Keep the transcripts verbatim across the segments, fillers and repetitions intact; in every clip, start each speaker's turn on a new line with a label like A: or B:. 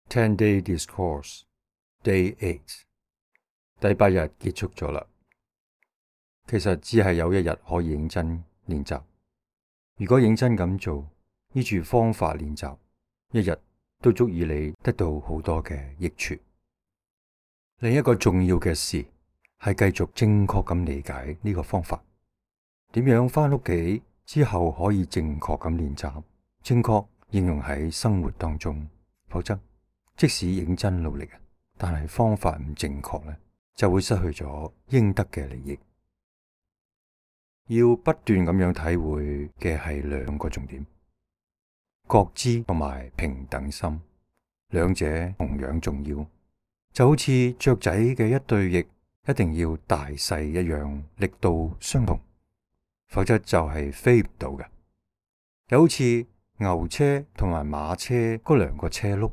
A: Ten Day Discourse Day Eight 第八日結束咗啦。其實只係有一日可以認真練習。如果認真咁做，依住方法練習，一日都足以你得到好多嘅益處。另一個重要嘅事係繼續正確咁理解呢個方法，點樣返屋企之後可以正確咁練習，正確應用喺生活當中。否則，即使認真努力，但係方法唔正確咧，就會失去咗應得嘅利益。要不斷咁樣體會嘅係兩個重點：覺知同埋平等心，兩者同樣重要。就好似雀仔嘅一對翼一定要大細一樣，力度相同，否則就係飛唔到嘅。又好似牛車同埋馬車嗰兩個車轆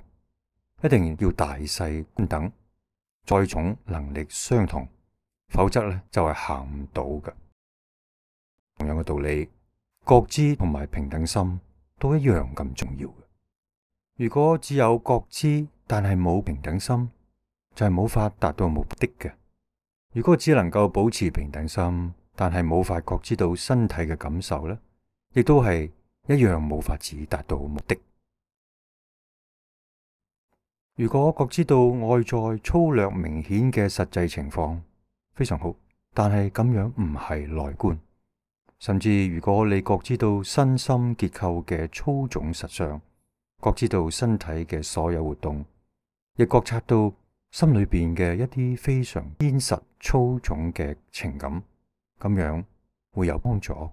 A: 一定要大細均等，載重能力相同，否則咧就係行唔到嘅。同樣嘅道理，覺知同埋平等心都一樣咁重要嘅。如果只有覺知但係冇平等心，就係冇法達到目的嘅。如果只能夠保持平等心，但係冇法覺知到身體嘅感受咧，亦都係一樣冇法子達到目的。如果覺知到外在粗略明顯嘅實際情況，非常好，但係咁樣唔係內觀。甚至如果你覺知到身心結構嘅粗重實相，覺知到身體嘅所有活動，亦覺察到心裏邊嘅一啲非常堅實粗重嘅情感，咁樣會有幫助。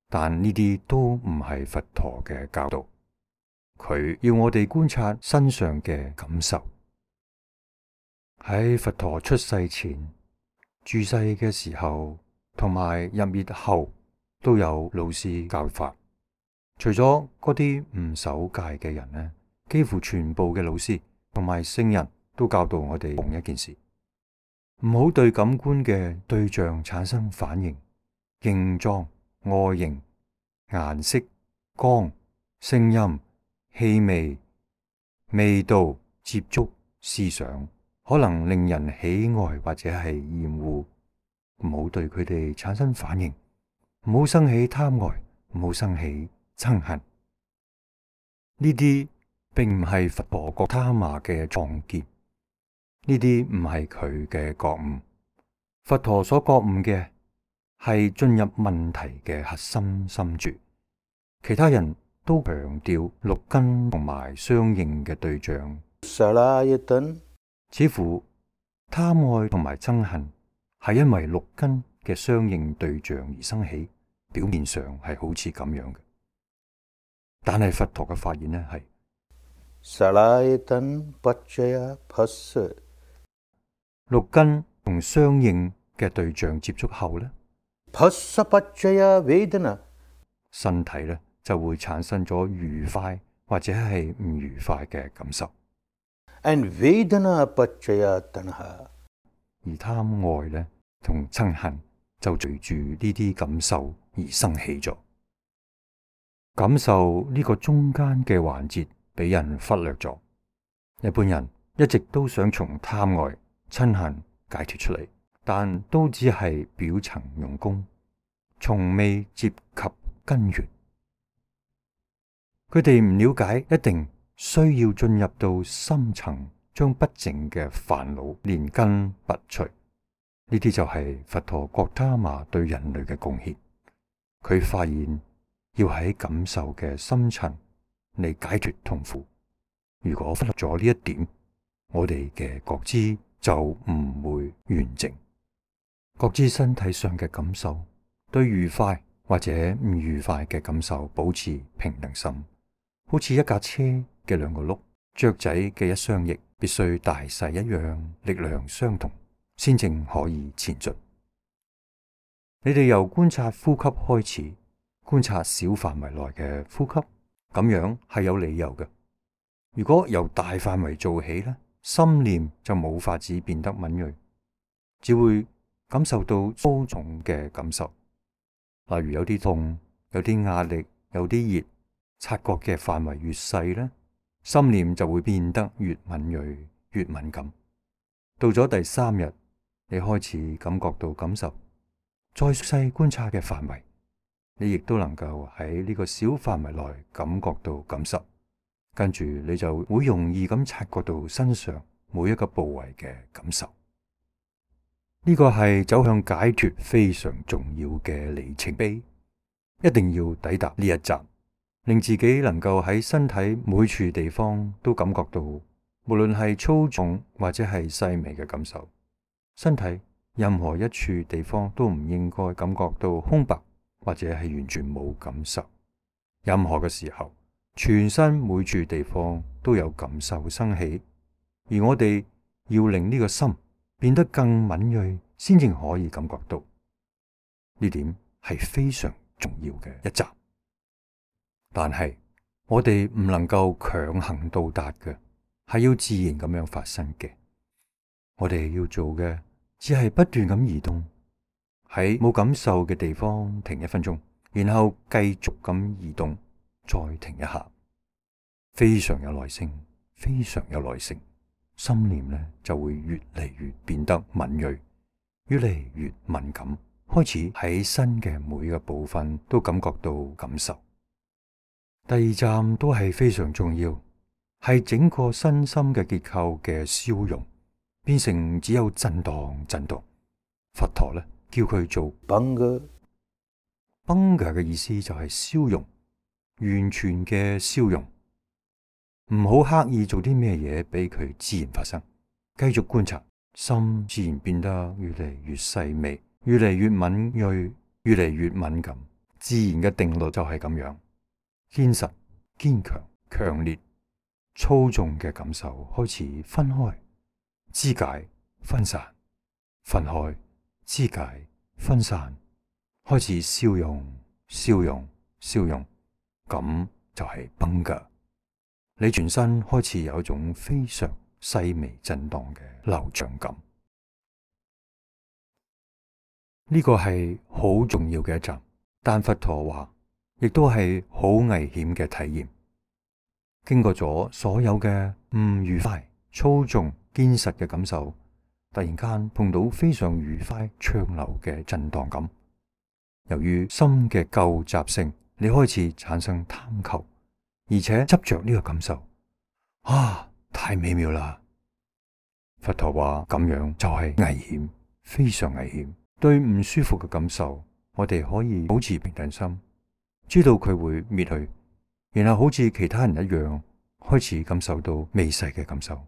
A: 但呢啲都唔係佛陀嘅教導，佢要我哋觀察身上嘅感受。喺佛陀出世前、住世嘅時候同埋入滅後，都有老師教法。除咗嗰啲唔守戒嘅人呢，幾乎全部嘅老師同埋聖人都教導我哋同一件事：唔好對感官嘅對象產生反應、形狀、外形、顏色、光、聲音、氣味、味道、接觸、思想，可能令人喜愛或者係厭惡。唔好對佢哋產生反應，唔好生起貪愛，唔好生起憎恨。呢啲並唔係佛陀覺他瑪嘅創建，呢啲唔係佢嘅覺悟。佛陀所覺悟嘅係進入問題嘅核心深處。其他人都強調六根同埋相應嘅對象，似乎貪愛同埋憎恨係因為六根嘅相應對象而生起，表面上係好似咁樣嘅。但係佛陀嘅發現呢係六根同相應嘅對象接觸後呢，身體呢就會產生咗愉快或者係唔愉快嘅感受。And Vedana Paccaya Tanha，而貪愛呢同憎恨就隨住呢啲感受而生起咗。感受呢個中間嘅環節俾人忽略咗。一般人一直都想從貪愛、憎恨解脫出嚟，但都只係表層用功，從未接及根源。佢哋唔了解，一定需要進入到深層，將不淨嘅煩惱連根拔除。呢啲就係佛陀覺他瑪對人類嘅貢獻。佢發現要喺感受嘅深層嚟解脫痛苦。如果忽略咗呢一點，我哋嘅覺知就唔會完整。覺知身體上嘅感受，對愉快或者唔愉快嘅感受保持平等心。好似一架車嘅兩個轆，雀仔嘅一雙翼必須大細一樣，力量相同，先正可以前進。你哋由觀察呼吸開始，觀察小範圍內嘅呼吸，咁樣係有理由嘅。如果由大範圍做起呢，心念就冇法子變得敏銳，只會感受到粗重嘅感受，例如有啲痛，有啲壓力，有啲熱。察覺嘅範圍越細呢，心念就會變得越敏銳、越敏感。到咗第三日，你開始感覺到感受，再細觀察嘅範圍，你亦都能夠喺呢個小範圍內感覺到感受。跟住你就會容易咁察覺到身上每一個部位嘅感受。呢個係走向解脫非常重要嘅里程碑，一定要抵達呢一站，令自己能夠喺身體每處地方都感覺到，無論係粗重或者係細微嘅感受。身體任何一處地方都唔應該感覺到空白或者係完全冇感受。任何嘅時候，全身每處地方都有感受生起，而我哋要令呢個心變得更敏銳，先至可以感覺到。呢點係非常重要嘅一集，但係我哋唔能夠強行到達嘅，係要自然咁樣發生嘅。我哋要做嘅只係不斷咁移動，喺冇感受嘅地方停一分鐘，然後繼續咁移動，再停一下，非常有耐性，非常有耐性，心念呢就會越嚟越變得敏銳，越嚟越敏感，開始喺身嘅每個部分都感覺到感受。第二站都係非常重要，係整個身心嘅結構嘅消融，變成只有震盪震盪。佛陀呢叫佢做邦格，邦格嘅意思就係消融，完全嘅消融，唔好刻意做啲咩嘢俾佢自然發生，繼續觀察，心自然變得越嚟越細微，越嚟越敏銳，越嚟越敏感。自然嘅定律就係咁樣，堅實、堅強、強烈、粗重嘅感受開始分開、肢解、分散、分開、肢解、分散，開始消融、消融、消融，咁就係邦格。你全身開始有一種非常細微震盪嘅流暢感。呢個係好重要嘅一站，但佛陀話亦都係好危險嘅體驗。經過咗所有嘅唔愉快、粗重、堅實嘅感受，突然間碰到非常愉快、暢流嘅震盪感。由於心嘅舊習性，你開始產生貪求，而且執着呢個感受。啊，太美妙啦！佛陀話咁樣就係危險，非常危險。對唔舒服嘅感受，我哋可以保持平靜心，知道佢會滅去，然後好似其他人一樣開始感受到微細嘅感受。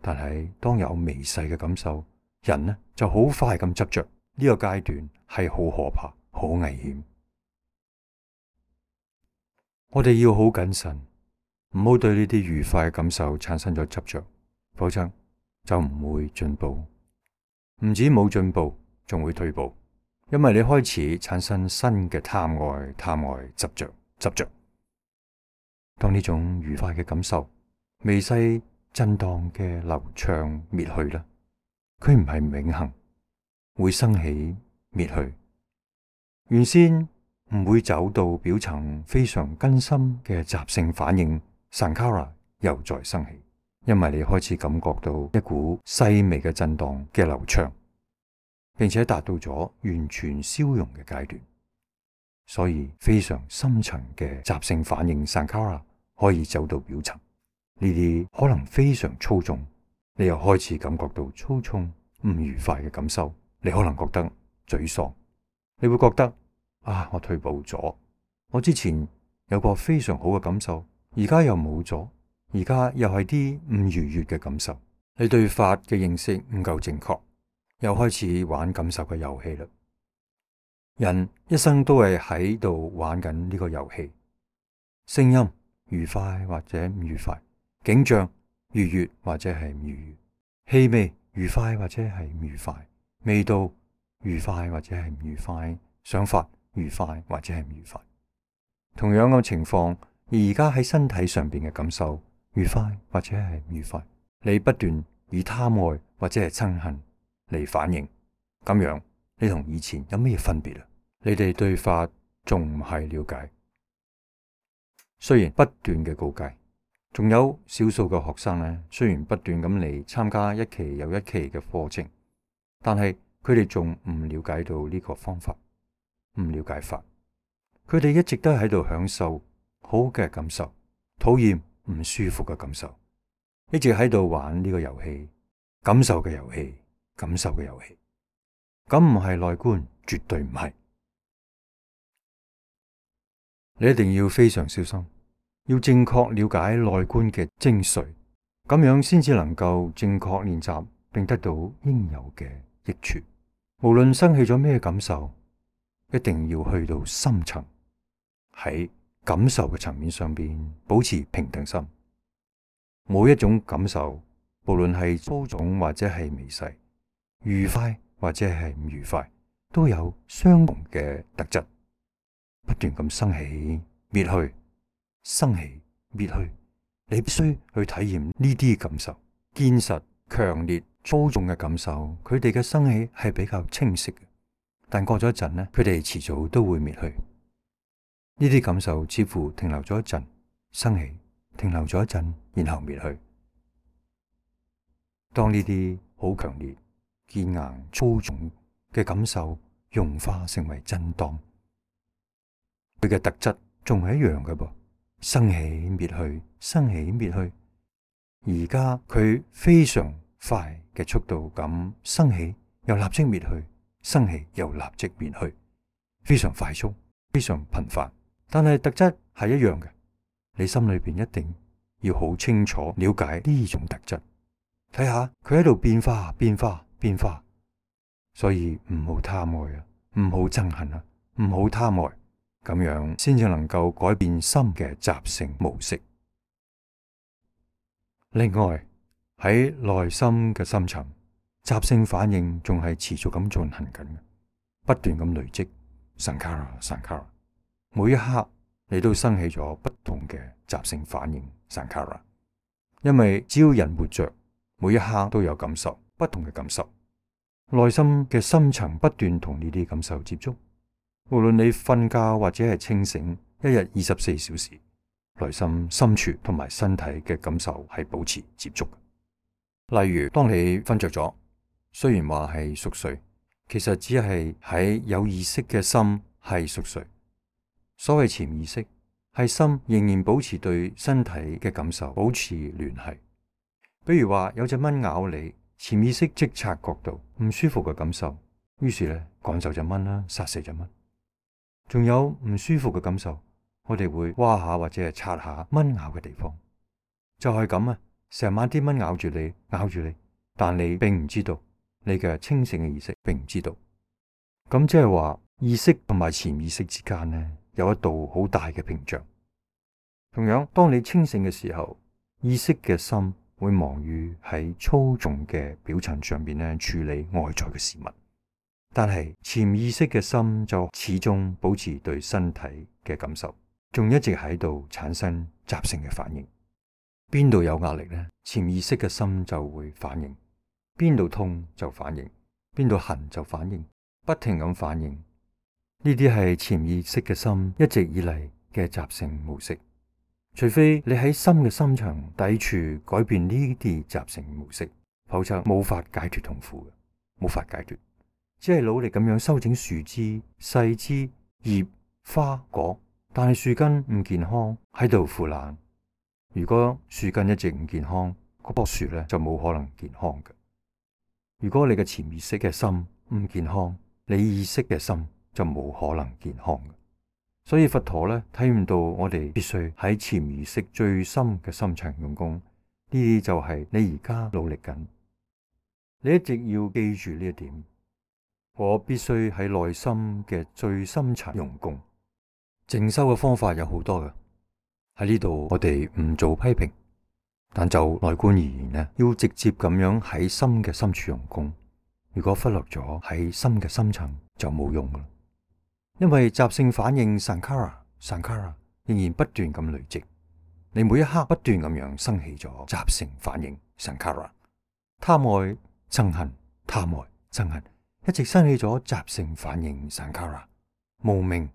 A: 但係當有微細嘅感受，人呢就好快咁執着，呢個階段係好可怕、好危險。我哋要好謹慎，唔好對呢啲愉快嘅感受產生咗執着，否則就唔會進步。唔止冇進步，仲會退步，因為你開始產生新嘅貪愛、貪愛、執着、執着。當呢種愉快嘅感受、微細震盪嘅流暢滅去啦，佢唔係永恆，會生起滅去。原先唔會走到表層非常根深嘅習性反應 Sankhara 又再生起，因為你開始感覺到一股細微嘅震盪嘅流暢，並且達到咗完全消融嘅階段，所以非常深層嘅習性反應 Sankhara 可以走到表層。呢啲可能非常粗重，你又開始感覺到粗重唔愉快嘅感受，你可能覺得沮喪，你會覺得啊，我退步咗，我之前有個非常好嘅感受，而家又冇咗，而家又係啲唔愉悅嘅感受。你對法嘅認識唔夠正確，又開始玩感受嘅遊戲啦。人一生都係喺度玩緊呢個遊戲，聲音愉快或者唔愉快，景象愉悅或者係唔愉悅，氣味愉快或者係唔愉快，味道愉快或者係唔愉快，想法愉快或者係唔愉快。同樣嘅情況，而家喺身體上邊嘅感受愉快或者係唔愉快，你不斷以貪愛或者係憎恨嚟反應，咁樣你同以前有咩分別啊？你哋對法仲唔係了解？雖然不斷嘅告誡，仲有少數嘅學生呢，雖然不斷咁嚟參加一期又一期嘅課程，但係佢哋仲唔了解到呢個方法，唔了解法。佢哋一直都喺度享受好嘅感受，討厭唔舒服嘅感受，一直喺度玩呢個遊戲，感受嘅遊戲，感受嘅遊戲。咁唔係內觀，絕對唔係。你一定要非常小心，要正確了解內觀嘅精髓，咁樣先至能夠正確練習，並得到應有嘅益處。無論生起咗咩感受，一定要去到深層，喺感受嘅層面上邊保持平等心。每一種感受，無論係粗重或者係微細，愉快或者係唔愉快，都有相同嘅特質，不斷咁生起滅去，生起滅去。你必須去體驗呢啲感受，堅實、強烈、粗重嘅感受，佢哋嘅生起係比較清晰嘅，但過咗一陣呢，佢哋遲早都會滅去。呢啲感受似乎停留咗一陣，生起，停留咗一陣，然後滅去。當呢啲好強烈、堅硬、粗重嘅感受融化成為震盪，佢嘅特質仲係一樣嘅噃，生起滅去，生起滅去。而家佢非常快嘅速度咁生起，又立即滅去，生起又立即滅去，非常快速，非常頻繁。但係特質係一樣嘅，你心裏邊一定要好清楚了解呢種特質，睇下佢喺度變化、變化、變化。所以唔好貪愛啊，唔好憎恨啊，唔好貪愛，咁樣先至能夠改變心嘅習性模式。另外喺內心嘅深層，習性反應仲係持續咁進行緊嘅，不斷咁累積，Sankhara Sankhara。每一刻你都生起咗不同嘅習性反應 Sankhara， 因為只要人活着，每一刻都有感受，不同嘅感受。內心嘅深層不斷同呢啲感受接觸，無論你瞓覺或者係清醒，一日二十四小時，內心深處同埋身體嘅感受係保持接觸。例如當你瞓着咗，雖然話係熟睡，其實只係喺有意識嘅心係熟睡。所謂潛意識係心仍然保持對身體嘅感受保持聯繫。比如話有隻蚊咬你，潛意識即察覺到唔舒服嘅感受，於是咧趕走隻蚊啦，殺死隻蚊。仲有唔舒服嘅感受，我哋會挖下或者係擦下蚊咬嘅地方，就係咁啊！成晚啲蚊咬住你，咬住你，但你並唔知道，你嘅清醒嘅意識並唔知道。咁即係話意識同埋潛意識之間呢，有一道好大嘅屏障。同樣，當你清醒嘅時候，意識嘅心會忙於喺粗重嘅表層上邊呢處理外在嘅事物，但係潛意識嘅心就始終保持對身體嘅感受，仲一直喺度產生習性嘅反應。邊度有壓力呢？潛意識嘅心就會反應，邊度痛就反應，邊度痕就反應，不停咁反應。呢啲係潛意識嘅心一直以嚟嘅習性模式，除非你喺心嘅深層抵觸改變呢啲習性模式，否則冇法解脫痛苦嘅，冇法解脫。只係努力咁樣修整樹枝、細枝、葉、花、果，但係樹根唔健康，喺度腐爛。如果樹根一直唔健康，嗰棵樹咧就冇可能健康嘅。如果你嘅潛意識嘅心唔健康，你意識嘅心就冇可能健康嘅。所以佛陀咧睇唔到我哋必須喺潛意識最深嘅深層用功，呢啲就係你而家努力緊。你一直要記住呢一點，我必須喺內心嘅最深層用功。靜修嘅方法有好多嘅，喺呢度我哋唔做批評，但就內觀而言呢，要直接咁樣喺心嘅深處用功。如果忽略咗喺心嘅深層，就冇用啦。因為習性反應 Sankhara Sankhara 仍然不斷咁累積，你每一刻不斷咁樣生起咗習性反應 Sankhara， 貪愛憎恨，貪愛憎恨，一直生起咗習性反應 Sankhara， 無明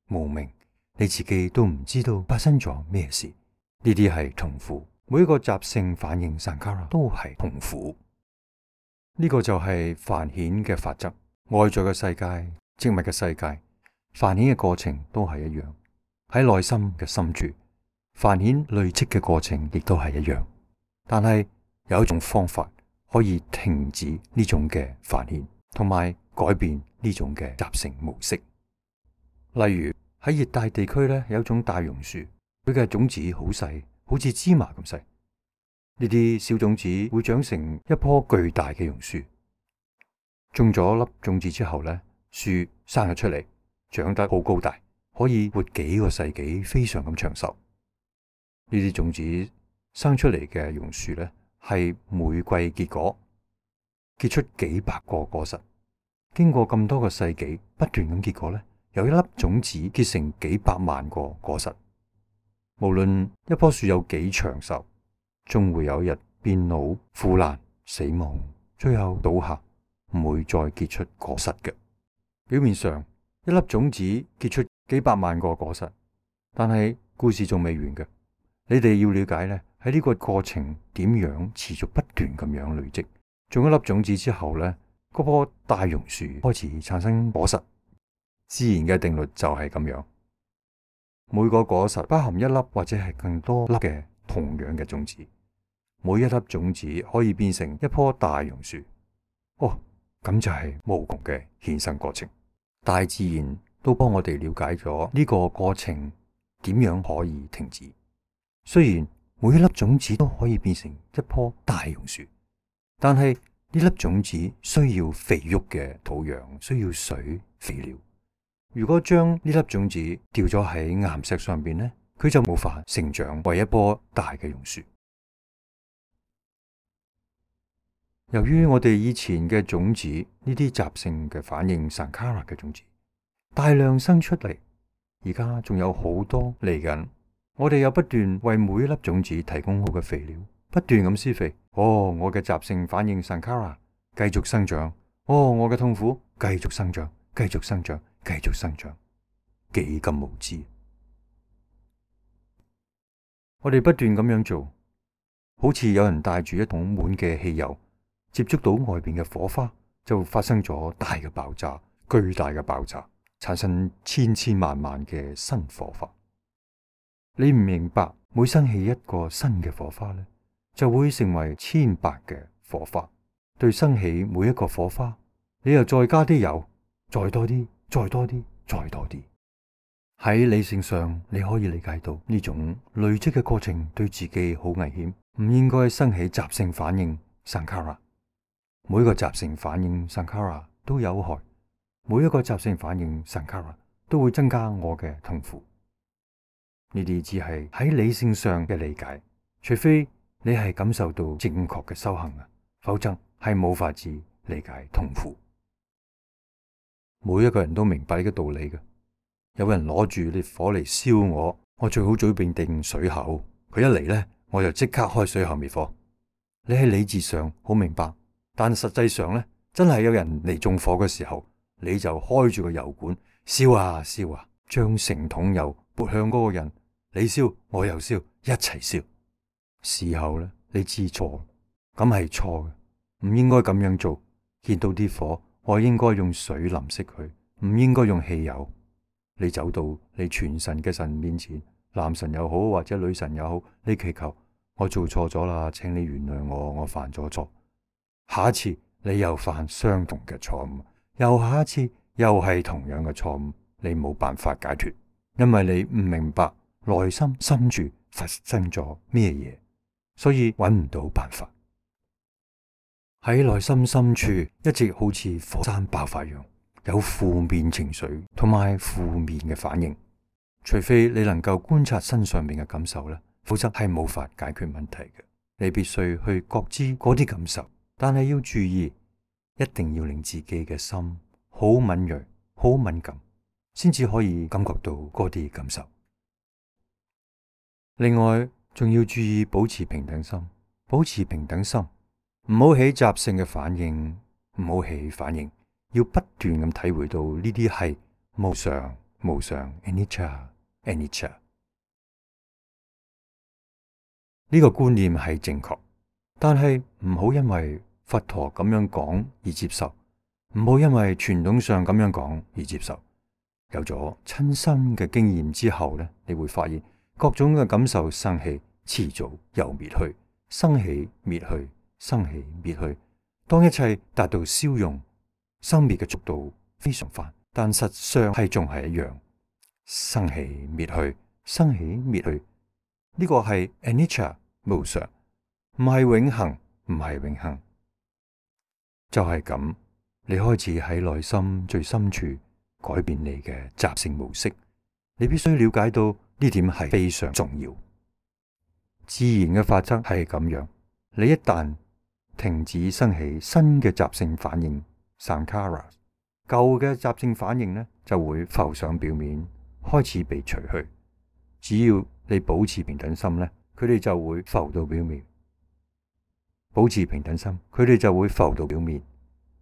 A: 無明，你自己都唔知道發生咗咩事。呢啲係痛苦，每一個習性反應 Sankhara 都係痛苦。呢、這個就係繁衍嘅法則。外在嘅世界、植物嘅世界，繁衍嘅過程都係一樣。喺內心嘅深處，繁衍累積嘅過程亦都係一樣。但係有一種方法可以停止呢種嘅繁衍，同埋改變呢種嘅習性模式。例如喺熱帶地區咧，有一種大榕樹，佢嘅種子好細，好似芝麻咁細。呢啲小種子會長成一棵巨大嘅榕樹。種咗粒種子之後咧，樹生咗出嚟，長得好高大，可以活幾個世紀，非常咁長壽。呢啲種子生出嚟嘅榕樹咧，係每季結果，結出幾百個果實。經過咁多個世紀不斷咁結果咧，由一粒種子結成幾百萬個果實。無論一棵樹有幾長壽，終會有一日變老、腐爛、死亡，最後倒下，唔會再結出果實嘅。表面上一粒種子結出幾百萬個果實，但係故事仲未完嘅。你哋要了解咧，喺呢個過程點樣持續不斷咁樣累積。種一粒種子之後咧，嗰棵大榕樹開始產生果實。自然嘅定律就係咁樣，每個果實包含一粒或者係更多粒嘅同樣嘅種子，每一粒種子可以變成一棵大榕樹。哦，咁就係無窮嘅衍生過程。大自然都幫我哋了解咗呢個過程點樣可以停止。雖然每一粒種子都可以變成一棵大榕樹，但係呢粒種子需要肥沃嘅土壤，需要水肥料。如果將呢粒種子掉咗喺岩石上邊呢，佢就無法成長為一棵大嘅榕樹。由於我哋以前嘅種子，呢啲習性嘅反應 Sankhara 嘅種子大量生出嚟，而家仲有好多嚟緊。我哋又不斷為每一粒種子提供好嘅肥料，不斷咁施肥。哦，我嘅習性反應 Sankhara 繼續生長。哦，我嘅痛苦繼續生長，繼續生長。繼續生長，幾咁無知！我哋不斷咁樣做，好似有人帶住一桶滿嘅汽油，接觸到外邊嘅火花，就發生咗大嘅爆炸，巨大嘅爆炸，產生千千萬萬嘅新火花。你唔明白，每生起一個新嘅火花咧，就會成為千百嘅火花。對生起每一個火花，你又再加啲油，再多啲。再多啲，再多啲。喺理性上，你可以理解到呢種累積嘅過程對自己好危險，唔應該生起習性反應 Sankhara。每個習性反應 Sankhara 都有害，每一個習性反應 Sankhara 都會增加我嘅痛苦。呢啲只係喺理性上嘅理解，除非你係感受到正確嘅修行啊，否則係冇法子理解痛苦。每一個人都明白呢個道理嘅。有人攞住烈火嚟燒我，我最好準備定水口。佢一嚟呢，我就即刻開水喉滅火。你喺理智上好明白，但實際上呢，真係有人嚟縱火嘅時候，你就開住個油管燒啊燒啊，將成桶油潑向嗰個人。你燒，我又燒，一齊燒。事後呢，你知錯，咁係錯嘅，唔應該咁樣做。見到啲火，我應該用水淋熄佢，唔應該用汽油。你走到你全神嘅神面前，男神又好或者女神又好，你祈求我做錯咗啦，請你原諒我，我犯咗錯。下一次你又犯相同嘅錯誤，又下一次又係同樣嘅錯誤，你冇辦法解脫，因為你唔明白內心深處發生咗咩嘢，所以揾唔到辦法。喺內心深處一直好似火山爆發樣，有負面情緒同埋負面嘅反應。除非你能夠觀察身上面嘅感受咧，否則係冇法解決問題嘅。你必須去覺知嗰啲感受，但係要注意，一定要令自己嘅心好敏銳、好敏感，先至可以感覺到嗰啲感受。另外，仲要注意保持平等心，保持平等心。唔好起習性嘅反應，唔好起反應，要不斷咁體會到呢啲係無常、無常 anicca anicca。呢個觀念係正確，但係唔好因為佛陀咁樣講而接受，唔好因為傳統上咁樣講而接受。有咗親身嘅經驗之後呢，你會發現各種嘅感受生起，遲早又滅去，生起滅去，生起滅去。當一切達到消融，生滅嘅速度非常快，但實相係仲係一樣，生起滅去，生起滅去。呢個係 anicca 無常，唔係永恆，唔係永恆。就係咁，你開始喺內心最深處改變你嘅習性模式。你必須了解到呢點係非常重要。自然嘅法則係咁樣，你一旦停止生起新嘅習性反應 Sankhara， 舊嘅習性反應呢就會浮上表面，開始被除去。只要你保持平等心呢，佢哋就會浮到表面。保持平等心，佢哋就會浮到表面。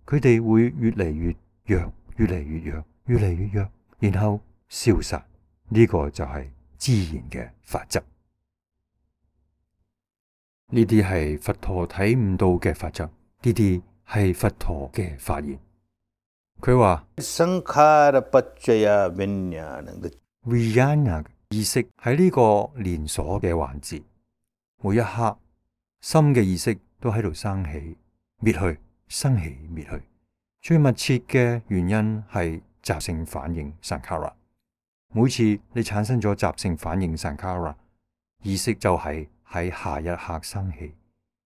A: 佢哋會越嚟越弱，越嚟越弱，越嚟越弱，然後消散。呢個就係自然嘅法則。呢啲係佛陀睇唔到嘅法則，呢啲係佛陀嘅發現。佢話Vijnana意識喺呢個連鎖嘅環節，每一刻心嘅意識都喺度生起、滅去、生起、滅去。最密切嘅原因係習性反應 Sankhara。每次你產生咗習性反應 Sankhara， 意識就係喺下一刻生起，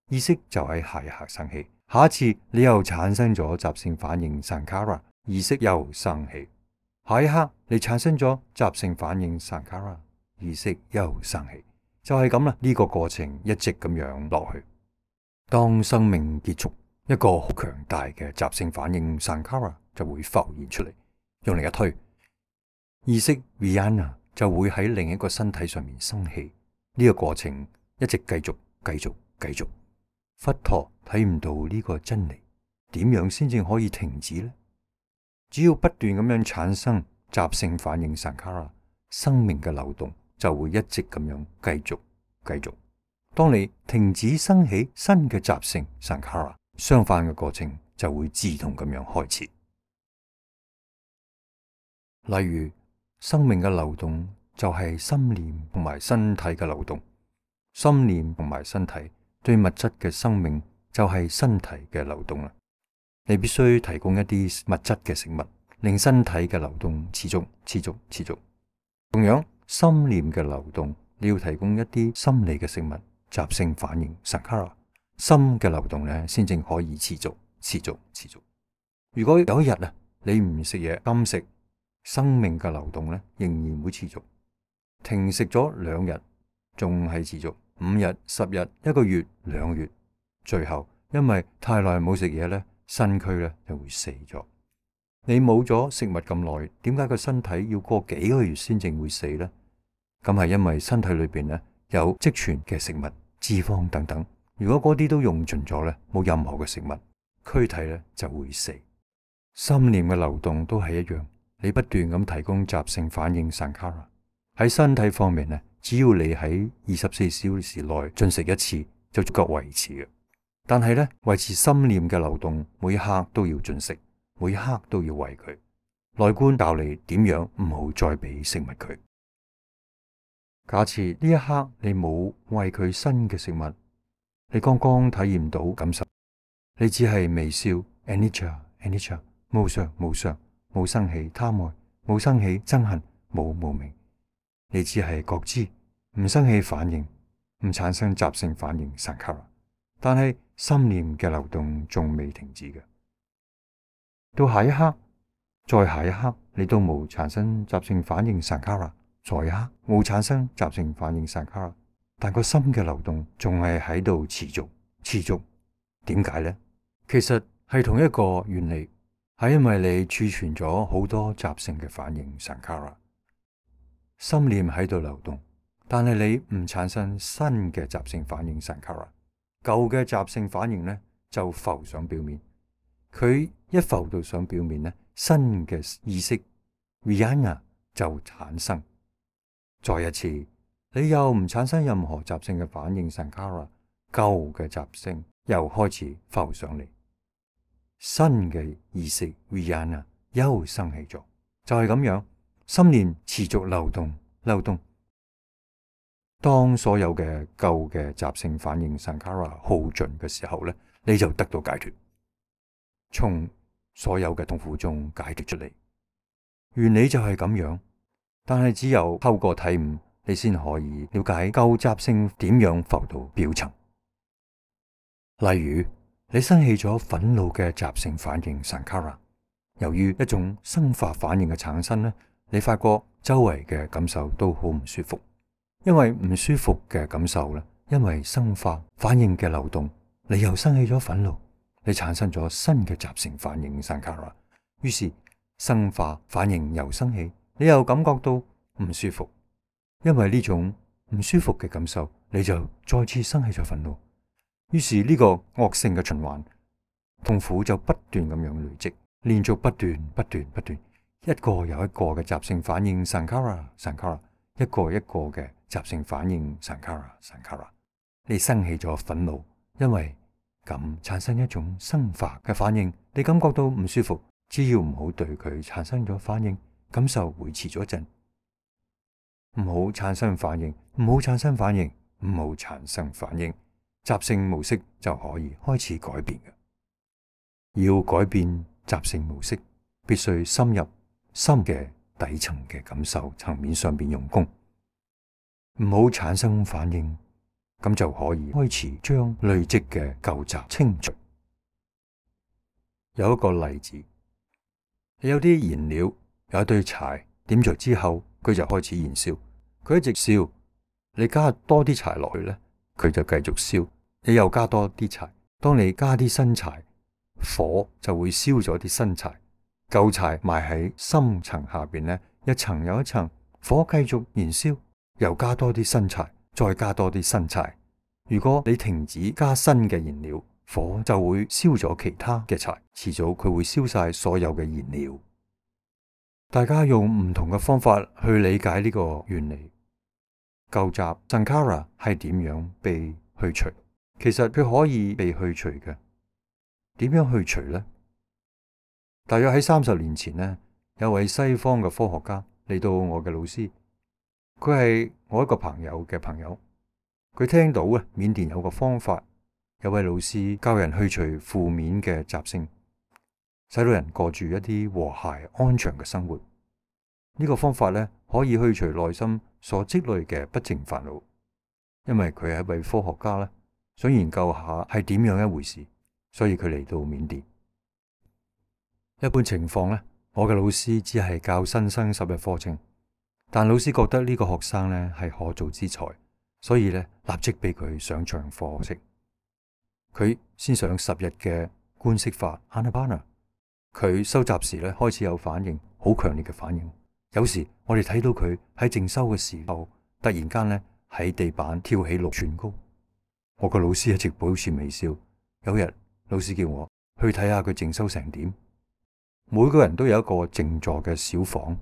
A: 意識就喺下一刻生起。下一次你又產生咗習性反應 Sankhara， 意識又生起。下一刻你產生咗習性反應 Sankhara， 意識又生起。就係咁啦，呢個過程一直咁樣落去。當生命結束，一個好強大嘅習性反應 Sankhara 就會浮現出嚟，用力一推，意識 Vijnana 就會喺另一個身體上面生起。呢個過程一直繼續、繼續、繼續。佛陀睇唔到呢個真理，點樣先至可以停止呢？只要不斷咁樣產生習性反應 Sankhara， 生命嘅流動就會一直咁樣繼續、繼續。當你停止生起新嘅習性 Sankhara， 相反嘅過程就會自動咁樣開始。例如，生命嘅流動就係心念同埋身體嘅流動，心念同埋身體對物質嘅生命就係身體嘅流動啦。你必須提供一啲物質嘅食物，令身體嘅流動持續、持續、持續。同樣，心念嘅流動，你要提供一啲心理嘅食物，習性反應 Sankhara， 心嘅流動咧，先正可以持續、持續、持續。如果有一日啊，你唔食嘢，禁食，生命嘅流動咧，仍然會持續。停食咗兩日，仲係持續。五日、十日、一個月、兩個月，最後因為太耐冇食嘢咧，身軀咧就會死咗。你冇咗食物咁耐，點解個身體要過幾個月先正會死呢？咁係因為身體裏邊咧有積存嘅食物、脂肪等等。如果嗰啲都用盡咗咧，冇任何嘅食物，軀體咧就會死。心念嘅流動都係一樣，你不斷咁提供習性反應 Sankhara。喺身體方面咧，只要你喺二十四小時內進食一次，就足夠維持嘅。但係咧，維持心念嘅流動，每一刻都要進食，每一刻都要餵佢。內觀教你點樣唔好再俾食物佢。假設呢一刻你冇餵佢新嘅食物，你剛剛體驗到感受，你只係微笑 anicca anicca 無常無常，冇生起貪愛，冇生起憎恨，冇無明。你只係覺知，唔生起反應，唔產生習性反應 Sankhara， 但係心念嘅流動仲未停止嘅。到下一刻，再下一刻，你都冇產生習性反應 Sankhara， 再一刻冇產生習性反應 Sankhara， 但個心嘅流動仲係喺度持續持續。點解呢？其實係同一個原理，係因為你儲存咗好多習性嘅反應 Sankhara。心念喺度流動，但係你唔產生新嘅習性反應 Sankhara， 舊嘅習性反應呢就浮上表面。佢一浮到上表面呢，新嘅意識 Vijnana 就產生。再一次，你又唔產生任何習性嘅反應 Sankhara， 舊嘅習性又開始浮上嚟，新嘅意識 Vijnana 又生起咗，就係咁樣，心念持續流動流動。當所有嘅舊嘅習性反應 Sankhara 耗盡嘅時候咧，你就得到解脫，從所有嘅痛苦中解脫出嚟。原理就係咁樣，但係只有透過體悟，你先可以了解舊習性點樣浮到表層。例如，你生起咗憤怒嘅習性反應 Sankhara， 由於一種生化反應嘅產生咧，你發覺周圍嘅感受都好唔舒服。因為唔舒服嘅感受咧，因為生化反應嘅流動，你又生起咗憤怒，你產生咗新嘅習性反應 Sankhara， 於是生化反應又生起，你又感覺到唔舒服。因為呢種唔舒服嘅感受，你就再次生起咗憤怒，於是呢個惡性嘅循環，痛苦就不斷咁樣累積，連續不斷不斷不斷，一個又一個嘅習性反應 Sankhara Sankhara， 一個一個嘅習性反應 Sankhara Sankhara， 你生起咗憤怒，因為咁產生一種生化嘅反應，你感覺到唔舒服，只要唔好對佢產生咗反應，感受維持咗一陣，唔好產生反應，唔好產生反應，唔好產生反應，習性模式就可以開始改變嘅。要改變習性模式，必須深入深嘅底層嘅感受層面上邊用功，唔好產生反應，咁就可以開始將累積嘅舊習清除。有一個例子，你有啲燃料，有一堆柴，點着之後佢就開始燃燒，佢一直燒，你加多啲柴落去咧，佢就繼續燒，你又加多啲柴，當你加啲新柴，火就會燒咗啲新柴，舊柴埋喺深層下邊咧，一層又一層，火繼續燃燒，又加多啲新柴，再加多啲新柴。如果你停止加新嘅燃料，火就會燒咗其他嘅柴，遲早佢會燒晒所有嘅燃料。大家用唔同嘅方法去理解呢個原理。舊習 Sankhara 係點樣被去除？其實佢可以被去除嘅。點樣去除呢？大約喺三十年前呢，有位西方嘅科學家嚟到我嘅老師，佢係我一個朋友嘅朋友。佢聽到啊，緬甸有個方法，有位老師教人去除負面嘅習性，使到人過住一啲和諧安詳嘅生活。呢個方法咧，可以去除內心所積累嘅不淨煩惱。因為佢係一位科學家咧，想研究下係點樣一回事，所以佢嚟到緬甸。一般情況咧，我嘅老師只係教新生十日課程，但老師覺得呢個學生咧係可造之材，所以咧立即俾佢上長課程。佢先上十日嘅觀息法 Anapana， 佢收集時咧開始有反應，好強烈嘅反應。有時我哋睇到佢喺靜修嘅時候，突然間咧喺地板跳起六寸高。我個老師一直保持微笑。有日老師叫我去睇下佢靜修成點。每個人都有一個靜坐嘅小房，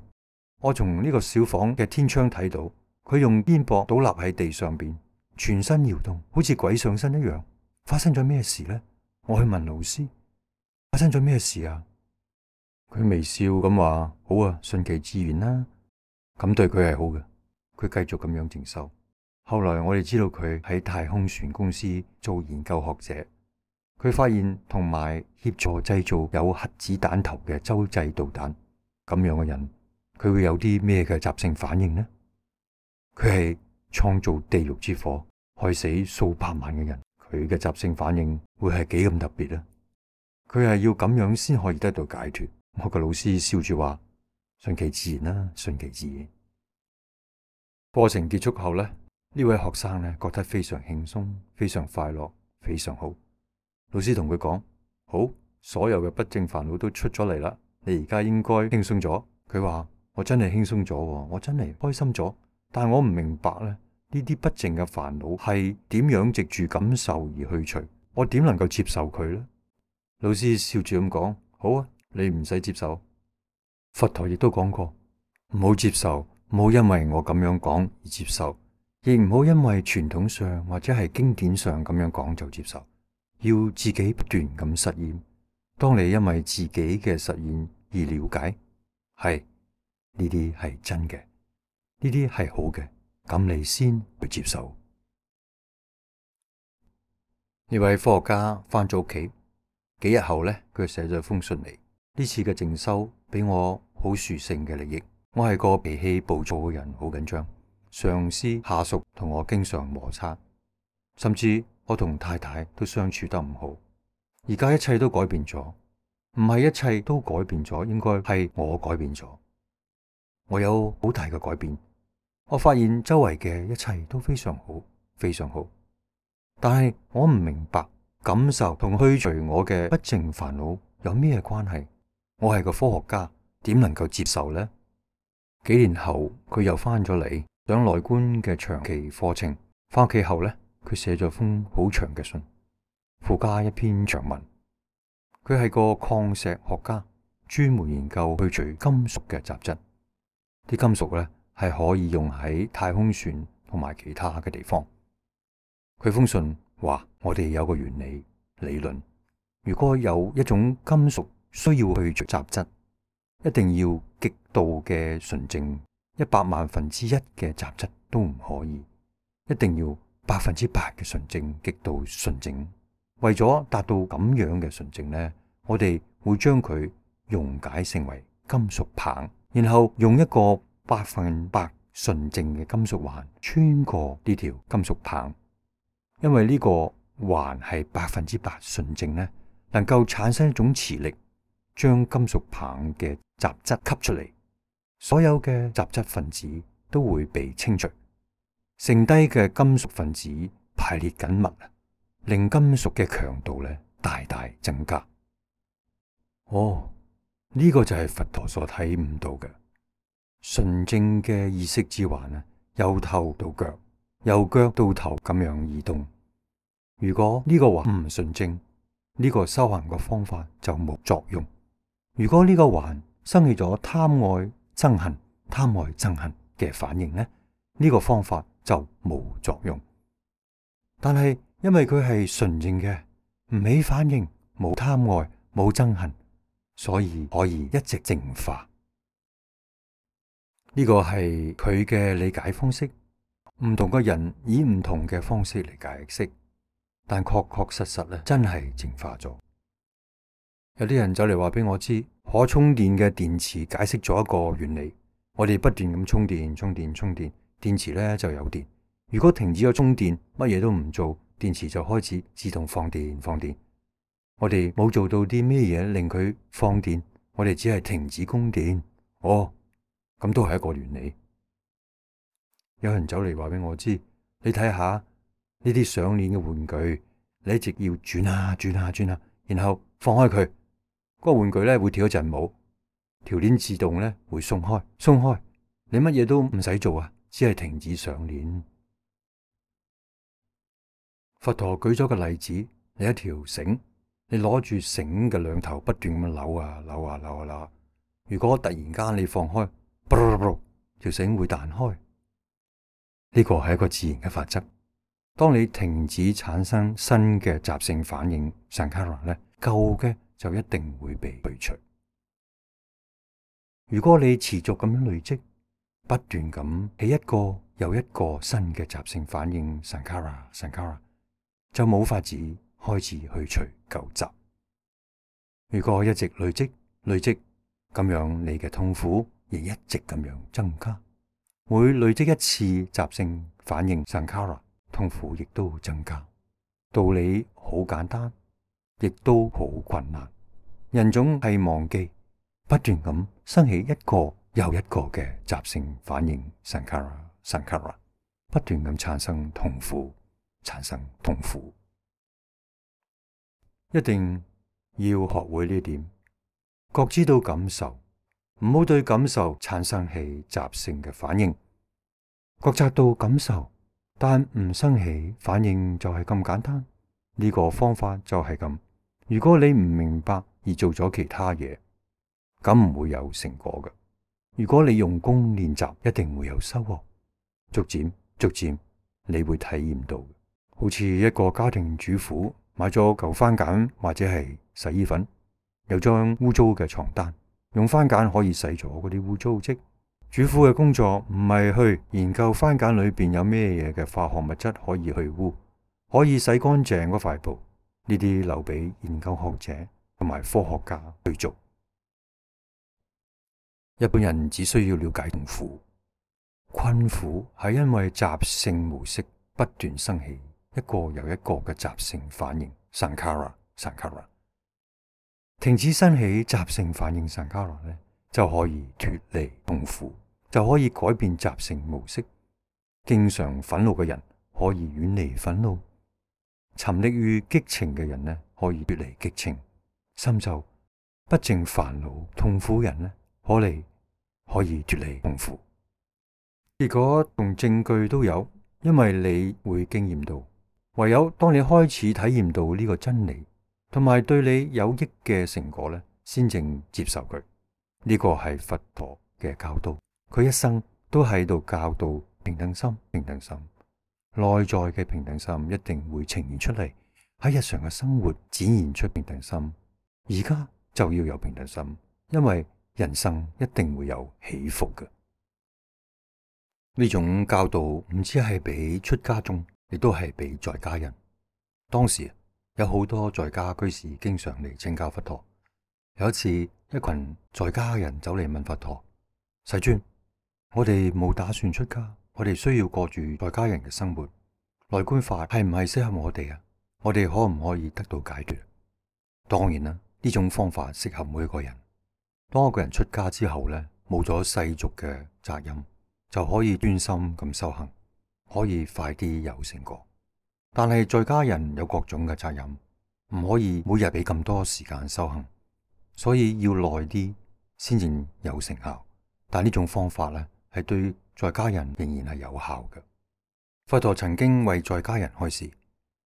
A: 我從呢個小房嘅天窗睇到佢用肩膊倒立喺地上邊，全身搖動，好似鬼上身一樣。發生咗咩事呢？我去問老師，發生咗咩事啊？佢微笑咁話：好啊，順其自然啦。咁對佢係好嘅。佢繼續咁樣靜修。後來我哋知道佢喺太空船公司做研究學者。佢發現同埋協助製造有核子彈頭嘅洲際導彈。咁樣嘅人，佢會有啲咩嘅習性反應呢？佢係創造地獄之火，害死數百萬嘅人。佢嘅習性反應會係幾咁特別呢？佢係要咁樣先可以得到解脫。我個老師笑住話：順其自然啦，順其自然。課程結束後呢，呢位學生呢覺得非常輕鬆，非常快樂，非常好。老師同佢講：好，所有嘅不正煩惱都出咗嚟啦，你而家應該輕鬆咗。佢話：我真係輕鬆咗，我真係開心咗。但我唔明白咧，呢啲不正嘅煩惱係點樣藉住感受而去除？我點能夠接受佢呢？老師笑住咁講：好啊，你唔使接受。佛陀亦都講過，唔好接受，唔好因為我咁樣講而接受，亦唔好因為傳統上或者係經典上咁樣講就接受，要自己不斷咁實驗。當你因為自己嘅實驗而了解，係呢啲係真嘅，呢啲係好嘅，咁你先去接受。呢位科學家返咗屋企，幾日後呢，佢寫咗封信嚟。呢次嘅靜修俾我好殊勝嘅利益。我係個脾氣暴躁嘅人，好緊張，上司下屬同我經常摩擦，甚至我同太太都相處得唔好。而家一切都改變咗，唔係一切都改變咗，應該係我改變咗。我有好大嘅改變，我發現周圍嘅一切都非常好，非常好。但係我唔明白感受同去除我嘅不淨煩惱有咩關係？我係個科學家，點能夠接受呢？幾年後佢又翻咗嚟上內觀嘅長期課程，翻屋企後呢，佢寫咗封好長嘅信，附加一篇長文。佢係個礦石學家，專門研究去除金屬嘅雜質。啲金屬呢係可以用喺太空船同埋其他嘅地方。佢封信話：我哋有個原理理論，如果有一種金屬需要去除雜質，一定要極度嘅純淨，一百萬分之一嘅雜質都唔可以，一定要百分之百嘅純淨，極度純淨。為咗達到咁樣嘅純淨呢，我哋會將佢溶解成為金屬棒，然後用一個百分百純淨嘅金屬環穿過呢條金屬棒，因為呢個環係百分之百純淨呢，能夠產生一種磁力，將金屬棒嘅雜質吸出嚟，所有嘅雜質分子都會被清除，剩低嘅金屬分子排列緊密，令金屬嘅強度咧大大增加。哦，呢個就係佛陀所睇唔到嘅純正嘅意識之環啊，由頭到腳，由腳到頭咁樣移動。如果呢個環唔純正，呢個修行嘅方法就冇作用。如果呢個環生起咗貪愛憎恨、貪愛憎恨嘅反應呢，呢個方法就冇作用。但係因為佢係純正嘅，唔起反應，冇貪愛、冇憎恨，所以可以一直淨化。呢個係佢嘅理解方式。唔同嘅人以唔同嘅方式嚟解釋，但確確實實咧，真係淨化咗。有啲人走嚟話俾我知，可充電嘅電池解釋咗一個原理。我哋不斷咁充電、充電、充電，電池咧就有電。如果停止咗充電，乜嘢都唔做，電池就開始自動放電、放電。我哋冇做到啲咩嘢令佢放電，我哋只係停止供電。哦，咁都係一個原理。有人走嚟話俾我知，你睇下呢啲上鏈嘅玩具，你一直要轉下轉下轉下，然後放開佢，嗰個玩具咧會跳一陣舞，條鏈自動咧會鬆開，鬆開，你乜嘢都唔使做啊，只係停止上鏈。佛陀舉咗個例子，你一條繩，你攞住繩嘅兩頭不斷咁扭啊扭啊扭啊扭，如果突然間你放開，條繩會彈開。呢個係一個自然嘅法則。當你停止產生新嘅習性反應 Sankhara 咧，舊嘅就一定會被去除。如果你持續咁樣累積，不斷咁起一個又一個新嘅習性反應 Sankhara Sankhara， 就冇法子開始去除舊習。如果一直累積累積，咁樣你嘅痛苦亦一直咁樣增加。每累積一次習性反應 Sankhara， 痛苦亦都增加。道理好簡單，亦都好困難。人總係忘記，不斷咁生起一個又一個嘅習性反應 Sankhara Sankhara， 不斷咁產生痛苦，產生痛苦。一定要學會呢點，覺知到感受，唔好對感受產生起習性嘅反應。覺察到感受，但唔生起反應就係咁簡單。呢個方法就係咁。如果你唔明白而做咗其他嘢，咁唔會有成果嘅。如果你用功練習，一定會有收穫。逐漸逐漸你會體驗到，好似一個家庭主婦買咗嚿番梘或者係洗衣粉，有張污糟嘅床單，用番梘可以洗咗嗰啲污糟跡。主婦嘅工作唔係去研究番梘裏邊有咩嘢嘅化學物質可以去污，可以洗乾淨嗰塊布，呢啲留俾研究學者同埋科學家去做。一般人只需要了解痛苦，困苦係因為習性模式不斷生起一個又一個嘅習性反應 Sankhara Sankhara， 停止生起習性反應 Sankhara 咧，就可以脫離痛苦，就可以改變習性模式。經常憤怒嘅人可以遠離憤怒，沉溺於激情嘅人呢，可以脫離激情，深受不正煩惱痛苦人呢，可嚟可以脫離痛苦。結果同證據都有，因為你會經驗到，唯有當你開始體驗到呢個真理，同埋對你有益嘅成果呢，先正接受佢。呢個係佛陀嘅教導，佢一生都喺度教導平等心，平等心，內在嘅平等心一定會呈現出嚟，喺日常嘅生活展現出平等心。而家就要有平等心，因為人生一定會有起伏嘅。呢種教導唔止係俾出家眾，亦都係俾在家人。當時有好多在家居士經常嚟請教佛陀。有一次，一群在家人走嚟問佛陀：世尊，我哋冇打算出家，我哋需要過住在家人嘅生活，內觀法係唔係適合我哋啊？我哋可唔可以得到解脫？當然啦，呢種方法適合每一個人。當一個人出家之後呢，冇咗世俗嘅責任，就可以專心咁修行，可以快啲有成果。但係在家人有各種嘅責任，唔可以每日俾咁多時間修行，所以要耐啲先至有成效。但呢種方法呢，係對在家人仍然係有效嘅。佛陀曾經為在家人開示，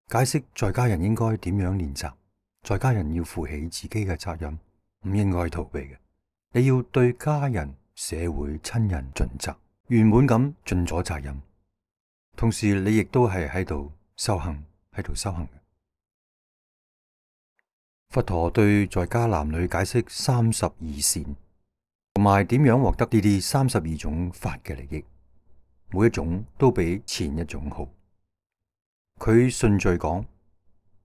A: 解釋在家人應該點樣練習。在家人要負起自己嘅責任，唔應該逃避嘅。你要對家人、社會、親人盡責，圓滿咁盡咗責任。同時，你亦都係喺度修行，喺度修行嘅。佛陀對在家男女解釋三十二善，同埋點樣獲得呢啲三十二種法嘅利益，每一種都比前一種好。佢順序講，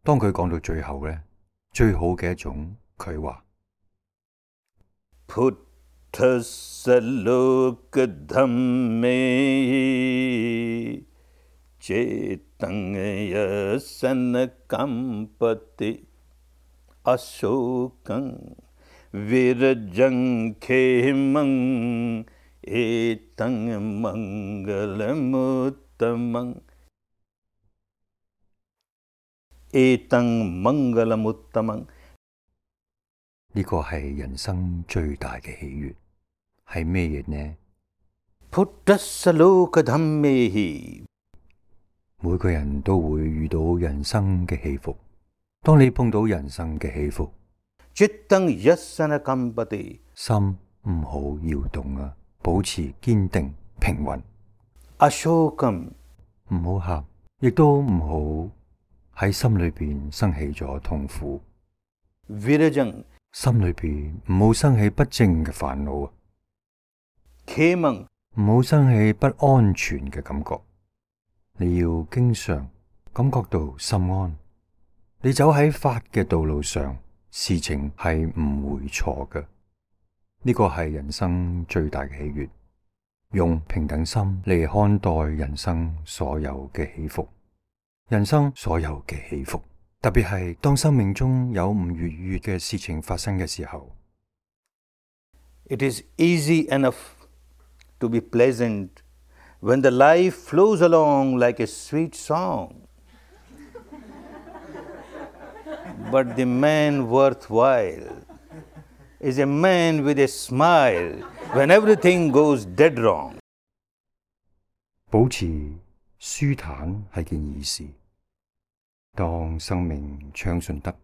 A: 當佢講到最後咧，最好嘅一種，佢話
B: Puttasa loka dhamme cetang yasana kampati ashokang virajang khemang etang mangalamuttamang etang mangalamuttamang。
A: 呢個係人生最大嘅喜悅，係咩嘢呢？
B: Puttasa loka dhammehi，
A: 每個人都會遇到人生嘅起伏。當你碰到人生嘅起伏，
B: Cittang yasana kampati，
A: 心唔好搖動啊，保持堅定平穩。
B: Ashokam，
A: 唔好喊，亦都唔好喺心裏邊生起咗痛苦。
B: Virajang，
A: 心裏邊唔好生起不正嘅煩惱啊。
B: Khemang，
A: 唔好生起不安全嘅感覺。你要經常感覺到心安。你走喺法嘅道路上，事情係唔會錯嘅。呢個係人生最大嘅喜悅。用平等心嚟看待人生所有嘅起伏，人生所有嘅起伏，特別係當生命中有唔愉悅嘅事情發生嘅時候。
B: It is easy enough to be pleasant when the life flows along like a sweet song. But the man worthwhile is a man with a smile when everything goes dead wrong.
A: 保持舒坦係件易事，當生命暢順得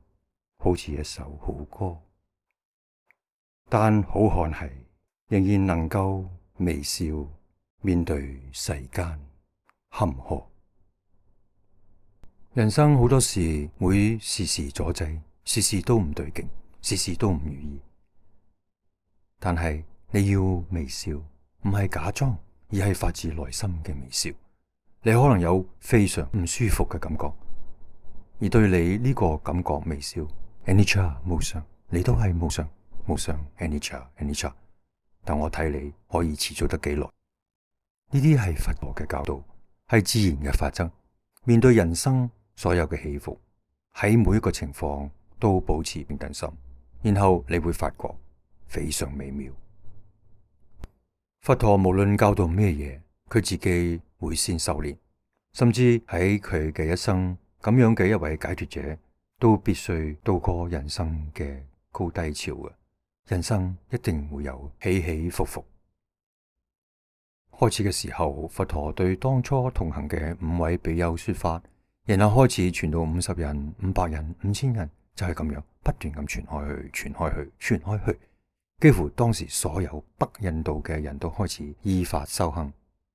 A: 好似一首好歌，但好漢係仍然能夠微笑面對世間坎坷。人生好多時會時時阻滯，時時都唔對勁，時時都唔如意。但係你要微笑，唔係假裝，而係發自內心嘅微笑。你可能有非常唔舒服嘅感覺，而對你呢個感覺微笑 anicca 無常，你都係無常無常 anicca anicca。但我睇你可以持續得幾耐？呢啲係佛陀嘅教導，係自然嘅法則。面對人生所有嘅起伏，喺每一個情況都保持平等心，然後你會發覺非常美妙。佛陀無論教導咩嘢，佢自己會先修煉，甚至喺佢嘅一生咁樣嘅一位解脫者，都必須渡過人生嘅高低潮嘅。人生一定會有起起伏伏。開始嘅時候，佛陀對當初同行嘅五位比丘說法，然後開始傳到五十人、五百人、五千人，就係咁樣不斷咁傳開去、傳開去、傳開去。幾乎當時所有北印度嘅人都開始依法修行，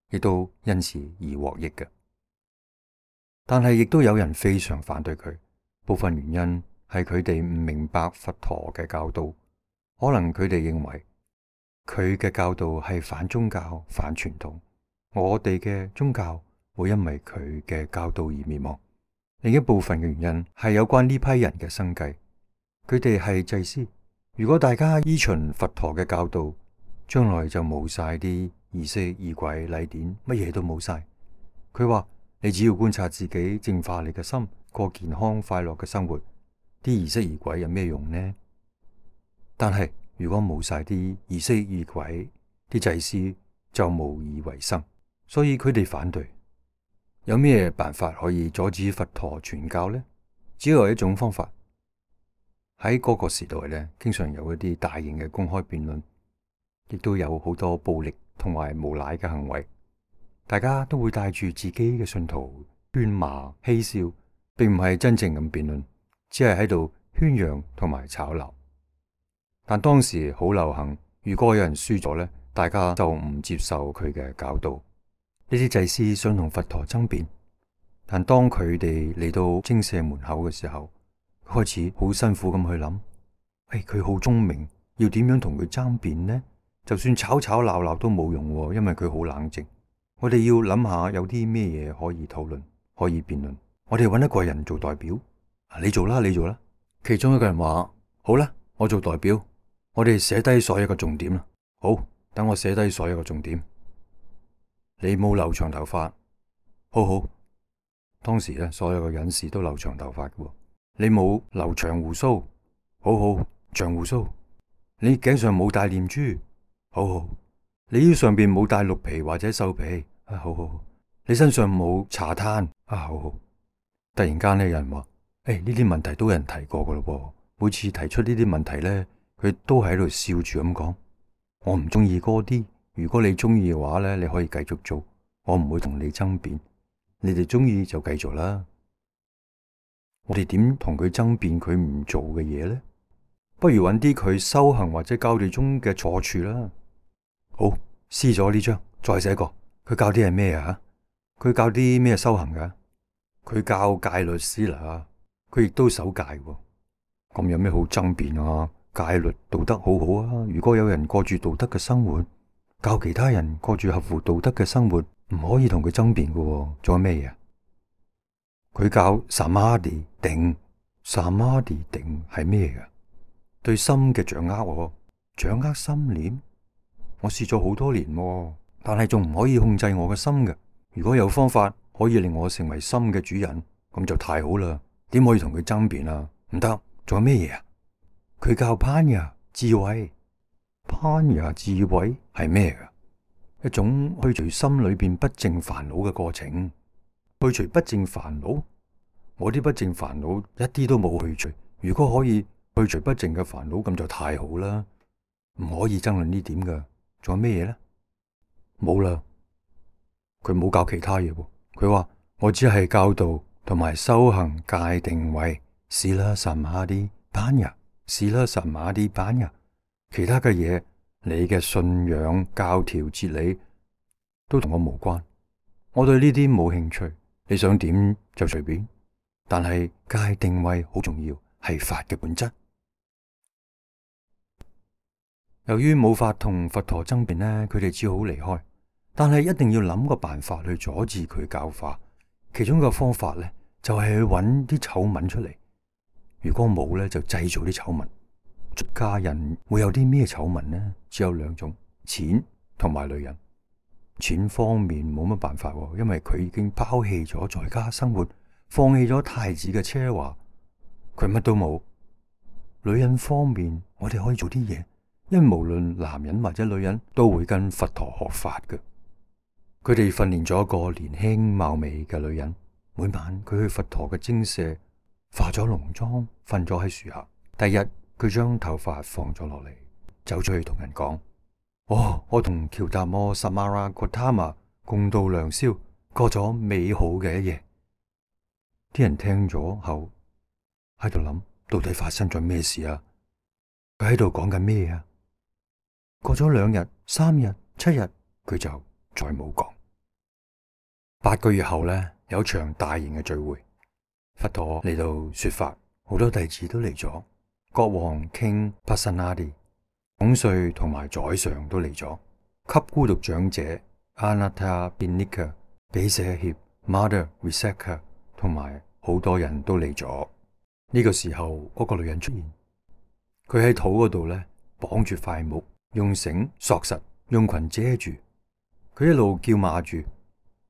A: 亦都因此而獲益嘅。但係亦都有人非常反對佢，部分原因係佢哋唔明白佛陀嘅教導，可能佢哋認為佢嘅教導係反宗教、反傳統，我哋嘅宗教會因為佢嘅教導而滅亡。另一部分嘅原因係有關呢批人嘅生計，佢哋係祭司。如果大家依循佛陀嘅教導，將來就冇晒啲儀式、儀軌、禮典，乜嘢都冇晒。佢話你只要觀察自己，淨化你嘅心，過健康快樂嘅生活，啲儀式儀軌有咩用呢？但係如果冇晒啲儀式儀軌，啲祭司就無以為生，所以佢哋反對。有咩辦法可以阻止佛陀傳教呢？只有一種方法。喺嗰個時代咧，經常有一啲大型嘅公開辯論，亦都有好多暴力同埋無賴嘅行為。大家都會帶住自己嘅信徒喧罵嬉笑，並唔係真正咁辯論，只係喺度宣揚同埋吵鬧。但當時好流行，如果有人輸咗咧，大家就唔接受佢嘅教導。呢啲祭司想同佛陀爭辯，但當佢哋嚟到精舍門口嘅時候，開始好辛苦咁去諗，誒，佢好聰明，要點樣同佢爭辯呢？就算吵吵鬧鬧都冇用，因為佢好冷靜。我哋要諗下有啲咩嘢可以討論，可以辯論。我哋揾一個人做代表，你做啦，你做啦。其中一個人話：好啦，我做代表，我哋寫低所有嘅重點啦。好，等我寫低所有嘅重點。你冇留長頭髮，好好。當時咧，所有嘅隱士都留長頭髮嘅。你冇留長鬍鬚，好好，長鬍鬚。你頸上冇戴念珠，好好。你腰上邊冇戴鹿皮或者獸皮，啊，好好。你身上冇茶炭，啊，好好。突然間呢，有人話：誒，呢啲問題都有人提過噶咯。每次提出呢啲問題咧，佢都喺度笑住咁講：我唔中意嗰啲，如果你中意嘅話咧，你可以繼續做，我唔會同你爭辯。你哋中意就繼續啦。我哋點同佢爭辯佢唔做嘅嘢呢？不如揾啲佢修行或者教導中嘅錯處啦。好，撕咗呢張，再寫個。佢教啲係咩啊？佢教啲咩修行噶？佢教戒律師啦，佢亦都守戒喎。咁有咩好爭辯啊？戒律道德好好啊。如果有人過住道德嘅生活，教其他人過住合乎道德嘅生活，唔可以同佢爭辯噶。仲有咩嘢？佢教 samadhi 定，samadhi 定係咩噶？對心嘅掌握，我掌握心念。我試咗好多年，但係仲唔可以控制我嘅心嘅。如果有方法可以令我成為心嘅主人，咁就太好啦。點可以同佢爭辯啊？唔得。仲有咩嘢啊？佢教 panya 智慧，panya 智慧係咩噶？一種去除心裏邊不淨煩惱嘅過程。去除不淨煩惱，我啲不淨煩惱一啲都冇去除。如果可以去除不淨嘅煩惱，咁就太好啦。唔可以爭論呢點噶。仲有咩嘢呢？冇啦。佢冇教其他嘢喎。佢話我只係教導同埋修行戒定慧，Sila Samadhi Panya，Sila Samadhi Panya。其他嘅嘢，你嘅信仰、教條、哲理都同我無關。我對呢啲冇興趣。你想點就隨便，但係戒定慧好重要，係法嘅本質。由於冇法同佛陀爭辯呢，佢哋只好離開。但係一定要諗個辦法去阻止佢教化。其中一個方法呢，就係去揾啲醜聞出嚟。如果冇呢，就製造啲醜聞。出家人會有啲咩醜聞呢？只有兩種：錢同埋女人。錢方面冇乜辦法，因為佢已經拋棄咗在家生活，放棄咗太子嘅奢華，佢乜都冇。女人方面，我哋可以做啲嘢，因為無論男人或者女人都會跟佛陀學法嘅。佢哋訓練咗一個年輕貌美嘅女人，每晚佢去佛陀嘅精舍化咗濃妝，瞓咗喺樹下。第日佢將頭髮放咗落嚟，走出去同人講：哦，我同喬達摩薩瑪拉葛他瑪共度良宵，過咗美好嘅一夜。啲人聽咗後喺度諗，到底發生咗咩事啊？佢喺度講緊咩啊？過咗兩日、三日、七日，佢就再冇講。八個月後呢，有場大型嘅聚會，佛陀嚟到說法，好多弟子都嚟咗。國王 King Pasenadi、統帥同埋宰相都嚟咗。給孤獨長者 Anatta Binika、比舍協 Mother Visakha 同埋好多人都嚟咗。呢個時候，嗰個女人出現，佢喺肚嗰度呢綁住塊木，用繩索實，用裙遮住。佢一路叫罵住：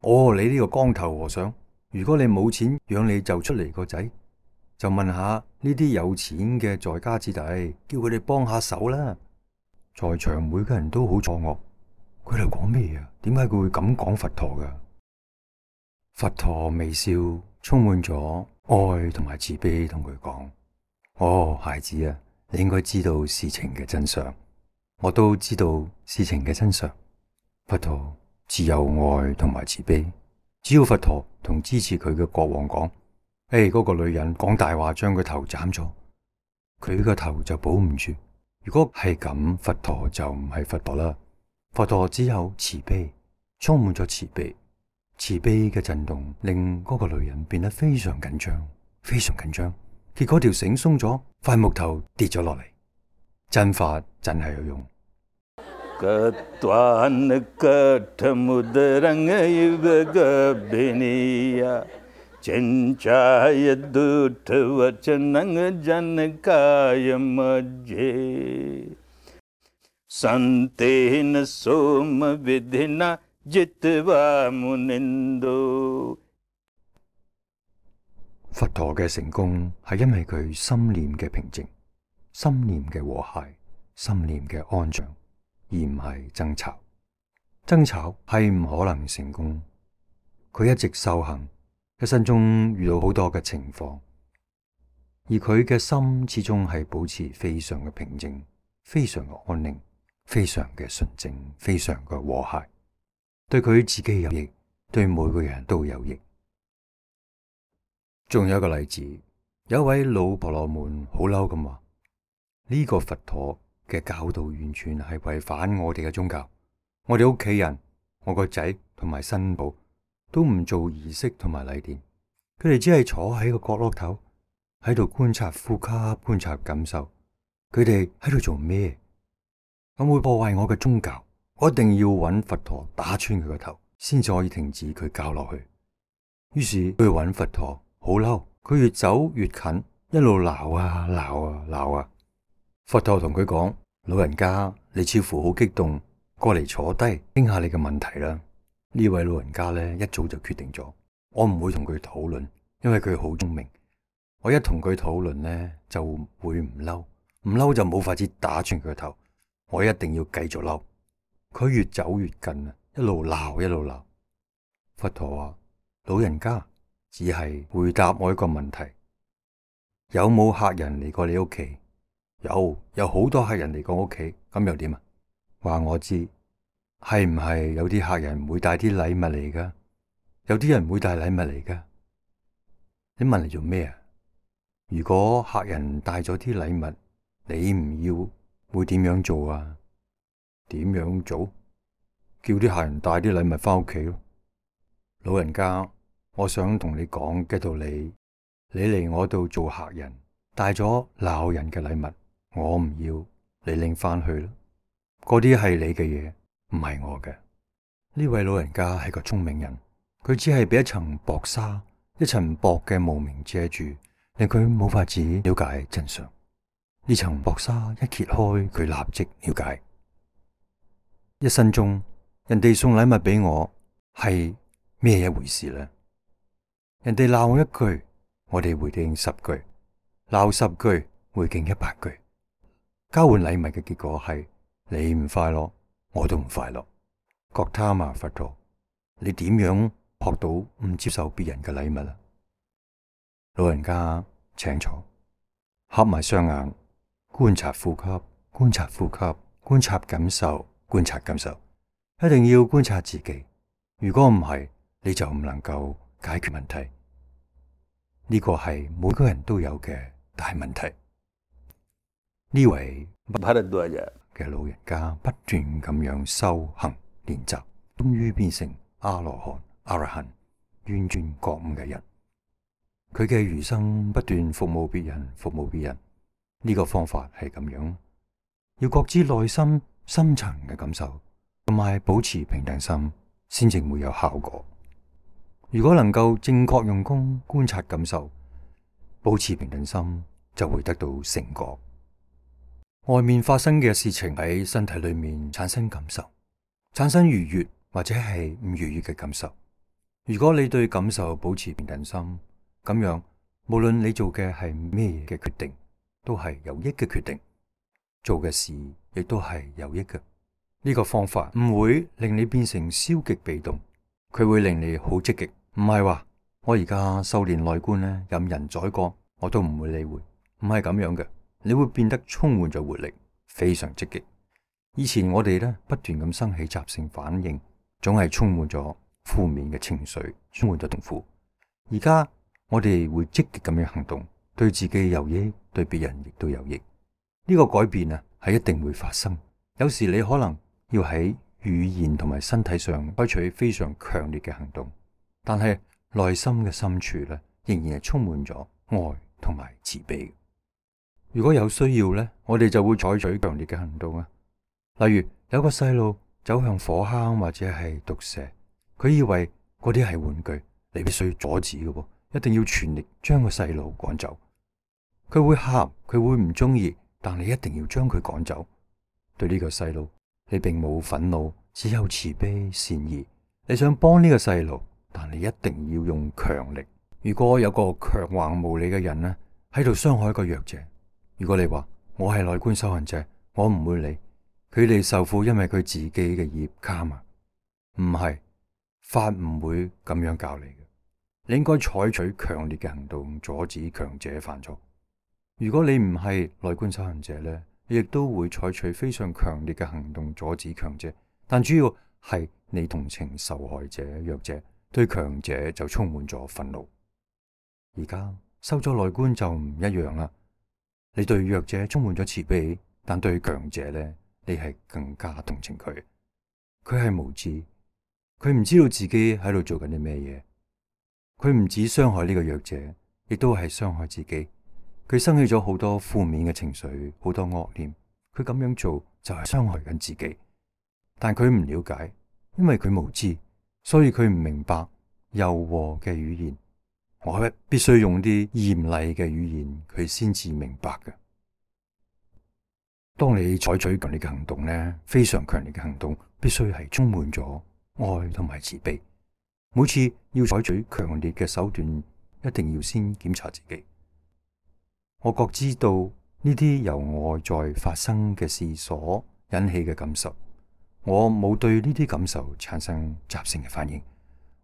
A: 哦，你呢個光頭和尚，如果你冇錢養你就出嚟個仔，就問下呢啲有錢嘅在家子弟，叫佢哋幫下手啦。在場每個人都好錯愕，佢哋講咩啊？點解佢會咁講佛陀噶？佛陀微笑，充滿咗愛同埋慈悲，同佢講：哦，孩子啊，你應該知道事情嘅真相。我都知道事情嘅真相。佛陀自有愛同埋慈悲，只要佛陀同支持佢嘅國王講：誒，嗰個女人講大話，將佢頭斬咗，佢個頭就保唔住。如果係咁，佛陀就唔係佛陀啦。佛陀只有慈悲，充滿咗慈悲。慈悲嘅震動令嗰個女人變得非常緊張，非常緊張。結果條繩鬆咗，塊木頭跌咗落嚟。真法真係有用。佛陀嘅成功係因為佢心念嘅平靜、心念嘅和諧、心念嘅安詳，而唔係爭吵。爭吵係唔可能成功。佢一直修行，一生中遇到好多嘅情況，而佢嘅心始終係保持非常嘅平靜、非常嘅安寧、非常嘅純正、非常嘅和諧，對佢自己有益，對每個人都有益。仲有一個例子，有一位老婆羅門好嬲咁話：呢個佛陀嘅教導完全係違反我哋嘅宗教。我哋屋企人，我個仔同埋新抱都唔做儀式同埋禮典，佢哋只係坐喺個角落頭喺度觀察呼吸、觀察感受。佢哋喺度做咩？咁會破壞我嘅宗教。我一定要揾佛陀打穿佢個頭，先至可以停止佢教落去。於是佢去揾佛陀，好嬲，佢越走越近，一路鬧啊鬧啊鬧啊。佛陀同佢講：老人家，你似乎好激動，過嚟坐低傾下你嘅問題啦。呢位老人家咧一早就決定咗，我唔會同佢討論，因為佢好聰明。我一同佢討論咧就會唔嬲，唔嬲就冇法子打穿佢個頭。我一定要繼續嬲。佢越走越近啊，一路鬧一路鬧。佛陀話：老人家，只係回答我一個問題，有冇客人嚟過你屋企？有，有好多客人嚟過屋企，咁又點啊？話我知，係唔係有啲客人會帶啲禮物嚟噶？有啲人會帶禮物嚟噶？你問嚟做咩啊？如果客人帶咗啲禮物，你唔要，會點樣做啊？點樣做？叫啲客人帶啲禮物返屋企咯。老人家，我想同你講嘅道理你嚟我度做客人，帶咗鬧人嘅禮物，我唔要，你拎返去啦。嗰啲係你嘅嘢，唔係我嘅。呢位老人家係個聰明人，佢只係俾一層薄紗，一層薄嘅霧明遮住，令佢冇法子了解真相。呢層薄紗一揭開，佢立即了解。一生中，人哋送禮物俾我係咩一回事呢？人哋鬧我一句，我哋回敬十句；鬧十句，回敬一百句。交換禮物嘅結果係你唔快樂，我都唔快樂。覺他嘛佛陀，你點樣學到唔接受別人嘅禮物啊？老人家請坐，合埋雙眼，觀察呼吸，觀察呼吸，觀察感受，觀察感受。一定要觀察自己，如果唔係，你就唔能夠解決問題。呢個係每個人都有嘅大問題。呢位嘅老人家不斷咁樣修行練習，終於變成阿羅漢、阿羅漢、完全覺悟嘅人。佢嘅餘生不斷服務別人，服務別人。呢個方法係咁樣，要覺知內心深層嘅感受，同埋保持平等心，先至會有效果。如果能夠正確用功觀察感受，保持平等心，就會得到成果。外面發生嘅事情喺身體裏面產生感受，產生愉悅或者係唔愉悅嘅感受。如果你對感受保持平等心，咁樣無論你做嘅係咩嘅決定，都係有益嘅決定，做嘅事亦都係有益嘅。呢個方法唔會令你變成消極被動，佢會令你好積極。唔係話我而家修煉內觀呢，任人宰割我都唔會理會，唔係咁樣嘅。你會變得充滿咗活力，非常積極。以前我哋呢不斷咁生起習性反應，總係充滿咗負面嘅情緒，充滿咗痛苦。而家我哋會積極咁樣行動，對自己有益，對別人亦都有益。呢個改變啊係一定會發生。有時你可能要喺語言同埋身體上採取非常強烈嘅行動，但係內心嘅深處呢，仍然係充滿咗愛同埋慈悲。如果有需要呢，我哋就會採取強烈嘅行動啊。例如有個細路走向火坑或者係毒蛇，佢以為嗰啲係玩具，你必須阻止嘅，一定要全力將個細路趕走。佢會喊，佢會唔中意，但你一定要將佢趕走。對呢個細路，你並冇憤怒，只有慈悲善意。你想幫呢個細路，但你一定要用強力。如果有個強橫無理嘅人呢，喺度傷害一個弱者，如果你話我係內觀修行者，我唔會理佢哋受苦，因為佢自己嘅業卡嘛。唔係，法唔會咁樣教你嘅。你應該採取強烈嘅行動，阻止強者犯錯。如果你唔係內觀修行者呢，你亦都會採取非常強烈嘅行動，阻止強者。但主要係你同情受害者、弱者，對強者就充滿咗憤怒。而家修咗內觀就唔一樣啦。你對弱者充滿咗慈悲，但對強者呢，你係更加同情佢。佢係無知，佢唔知道自己喺度做緊啲咩嘢。佢唔止傷害呢個弱者，亦都係傷害自己。佢生起咗好多負面嘅情緒，好多惡念。佢咁樣做就係傷害緊自己。但佢唔了解，因為佢無知，所以佢唔明白柔和嘅語言。我必須用啲嚴厲嘅語言，佢先至明白嘅。當你採取強烈嘅行動呢，非常強烈嘅行動，必須係充滿咗愛同埋慈悲。每次要採取強烈嘅手段，一定要先檢查自己。我覺知道呢啲由外在發生嘅事所引起嘅感受，我冇對呢啲感受產生習性嘅反應。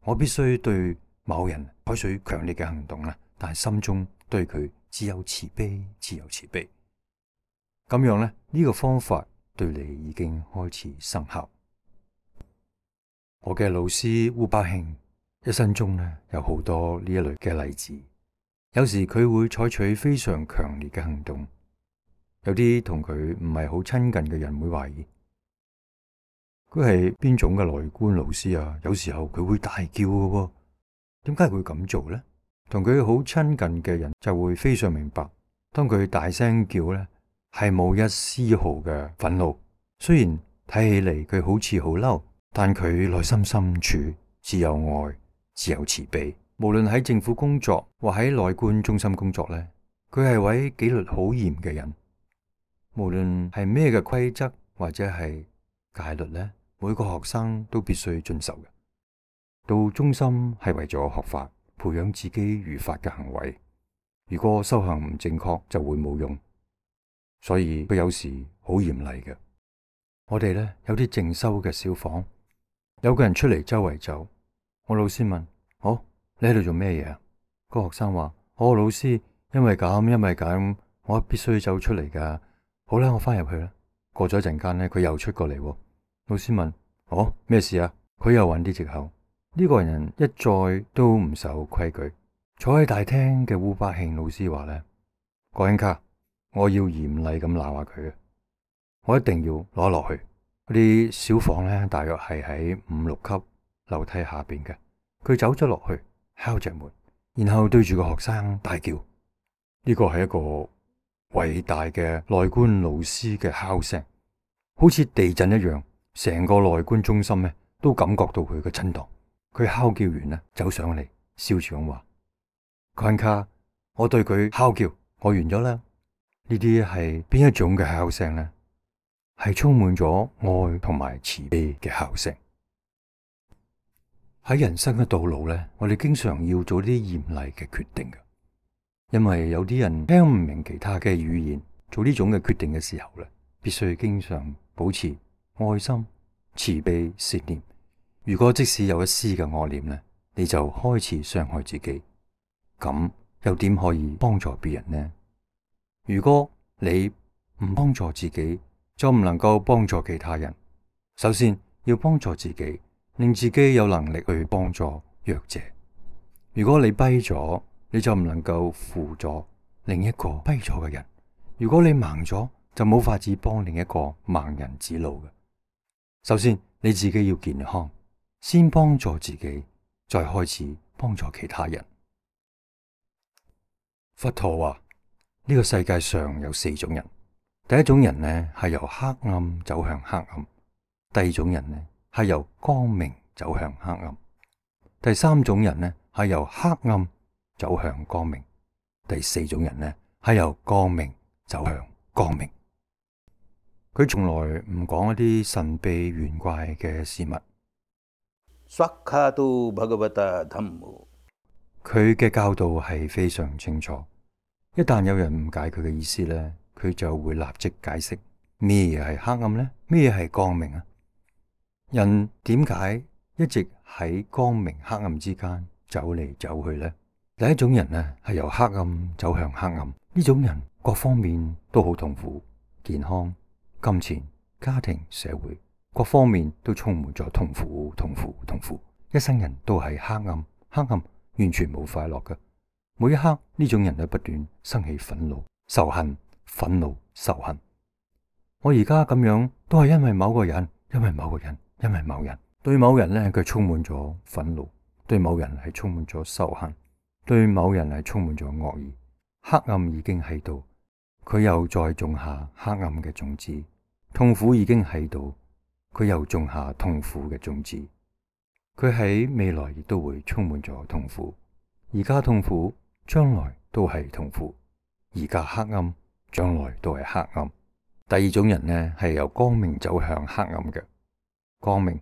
A: 我必須對某人採取強烈嘅行動啦，但係心中對佢只有慈悲，只有慈悲。咁樣呢，呢個方法對你已經開始生效。我嘅老師烏巴慶一生中呢，有好多呢一類嘅例子。有時佢會採取非常強烈嘅行動，有啲同佢唔係好親近嘅人會懷疑佢係邊種嘅內觀老師啊。有時候佢會大叫嘅喎，點解佢會咁做呢？同佢好親近嘅人就會非常明白，當佢大聲叫呢，係冇一絲毫嘅憤怒。雖然睇起嚟佢好似好嬲，但佢內心深處只有愛，只有慈悲。無論喺政府工作或喺內觀中心工作呢，佢係位紀律好嚴嘅人。無論係咩嘅規則或者係戒律呢，每個學生都必須遵守嘅。到中心係為咗學法，培養自己如法嘅行為。如果修行唔正確，就會冇用。所以佢有時好嚴厲嘅。我哋呢，有啲靜修嘅小房，有個人出嚟周圍走，我老師問：好，你喺度做咩嘢啊？個學生話：我老師，因為咁，因為咁，我必須走出嚟噶。好啦，我翻入去啦。過咗一陣間呢，佢又出過嚟。老師問：哦，咩事啊？佢又揾啲藉口。呢個人一再都唔守規矩。坐喺大廳嘅烏巴慶老師話呢：郭恩卡，我要嚴厲咁鬧下佢啊！我一定要攞落去。嗰啲小房呢，大約係喺五六級樓梯下邊嘅。佢走咗落去，敲着門，然後對住個學生大叫。呢個係一個偉大嘅內觀老師嘅敲聲，好似地震一樣，成個內觀中心呢都感覺到佢嘅震盪。佢敲叫完呢，走上嚟，笑住咁話：坤卡，我對佢敲叫，我完咗啦。呢啲係邊一種嘅敲聲呢？係充滿咗愛同埋慈悲嘅敲聲。喺人生嘅道路呢，我哋經常要做啲嚴厲嘅決定嘅，因為有啲人聽唔明其他嘅語言，做呢種嘅決定嘅時候呢，必須經常保持愛心、慈悲、善念。如果即使有一絲嘅惡念呢，你就開始傷害自己，咁又點可以幫助別人呢？如果你唔幫助自己，就唔能夠幫助其他人。首先要幫助自己，令自己有能力去幫助弱者。如果你跛咗，你就唔能夠輔助另一個跛咗嘅人。如果你盲咗，就冇法子幫另一個盲人指路嘅。首先你自己要健康，先幫助自己，再開始幫助其他人。佛陀話，呢個世界上有四種人。第一種人呢，係由黑暗走向黑暗；第二種人呢，係由光明走向黑暗；第三種人呢，係由黑暗走向光明；第四種人呢，係由光明走向光明。佢從來唔講一啲神秘玄怪嘅事物。
B: Swakkhato Bhagavata Dhammo。佢
A: 嘅教導係非常清楚。一旦有人誤解佢嘅意思呢，佢就會立即解釋咩嘢係黑暗呢？咩嘢係光明啊？人點解一直喺光明黑暗之間走嚟走去呢？第一種人呢，係由黑暗走向黑暗，呢種人各方面都好痛苦，健康、金錢、家庭、社會各方面都充滿咗痛苦、痛苦、痛苦，一生人都係黑暗，黑暗完全冇快樂嘅。每一刻呢種人都不斷生起憤怒、仇恨。憤怒、仇恨。我而家咁樣都係因為某個人，因為某個人，因為某人。對某人呢，佢充滿咗憤怒；對某人係充滿咗仇恨；對某人係充滿咗惡意。黑暗已經喺度，佢又再種下黑暗嘅種子；痛苦已經喺度，佢又種下痛苦嘅種子。佢喺未來亦都會充滿咗痛苦。而家痛苦，將來都係痛苦。而家黑暗，將來都係黑暗。第二種人呢，係由光明走向黑暗嘅。光明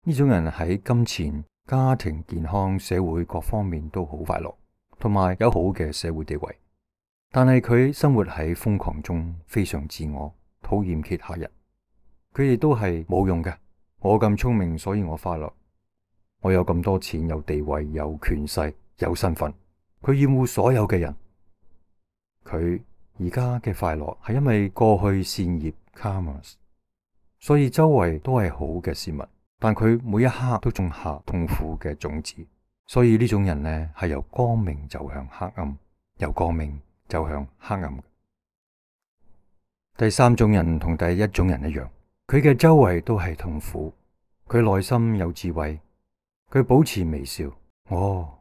A: 呢種人喺金錢、家庭、健康、社會各方面都好快樂，同埋有好嘅社會地位。但係佢生活喺瘋狂中，非常自我，討厭其他人。佢哋都係冇用嘅。我咁聰明，所以我快樂。我有咁多錢、有地位、有權勢、有身份。佢厭惡所有嘅人。佢而家嘅快樂係因為過去善業 karmas， 所以周圍都係好嘅事物，但佢每一刻都種下痛苦嘅種子，所以呢種人呢，係由光明走向黑暗，由光明走向黑暗。第三種人同第一種人一樣，佢嘅周圍都係痛苦，佢內心有智慧，佢保持微笑。哦，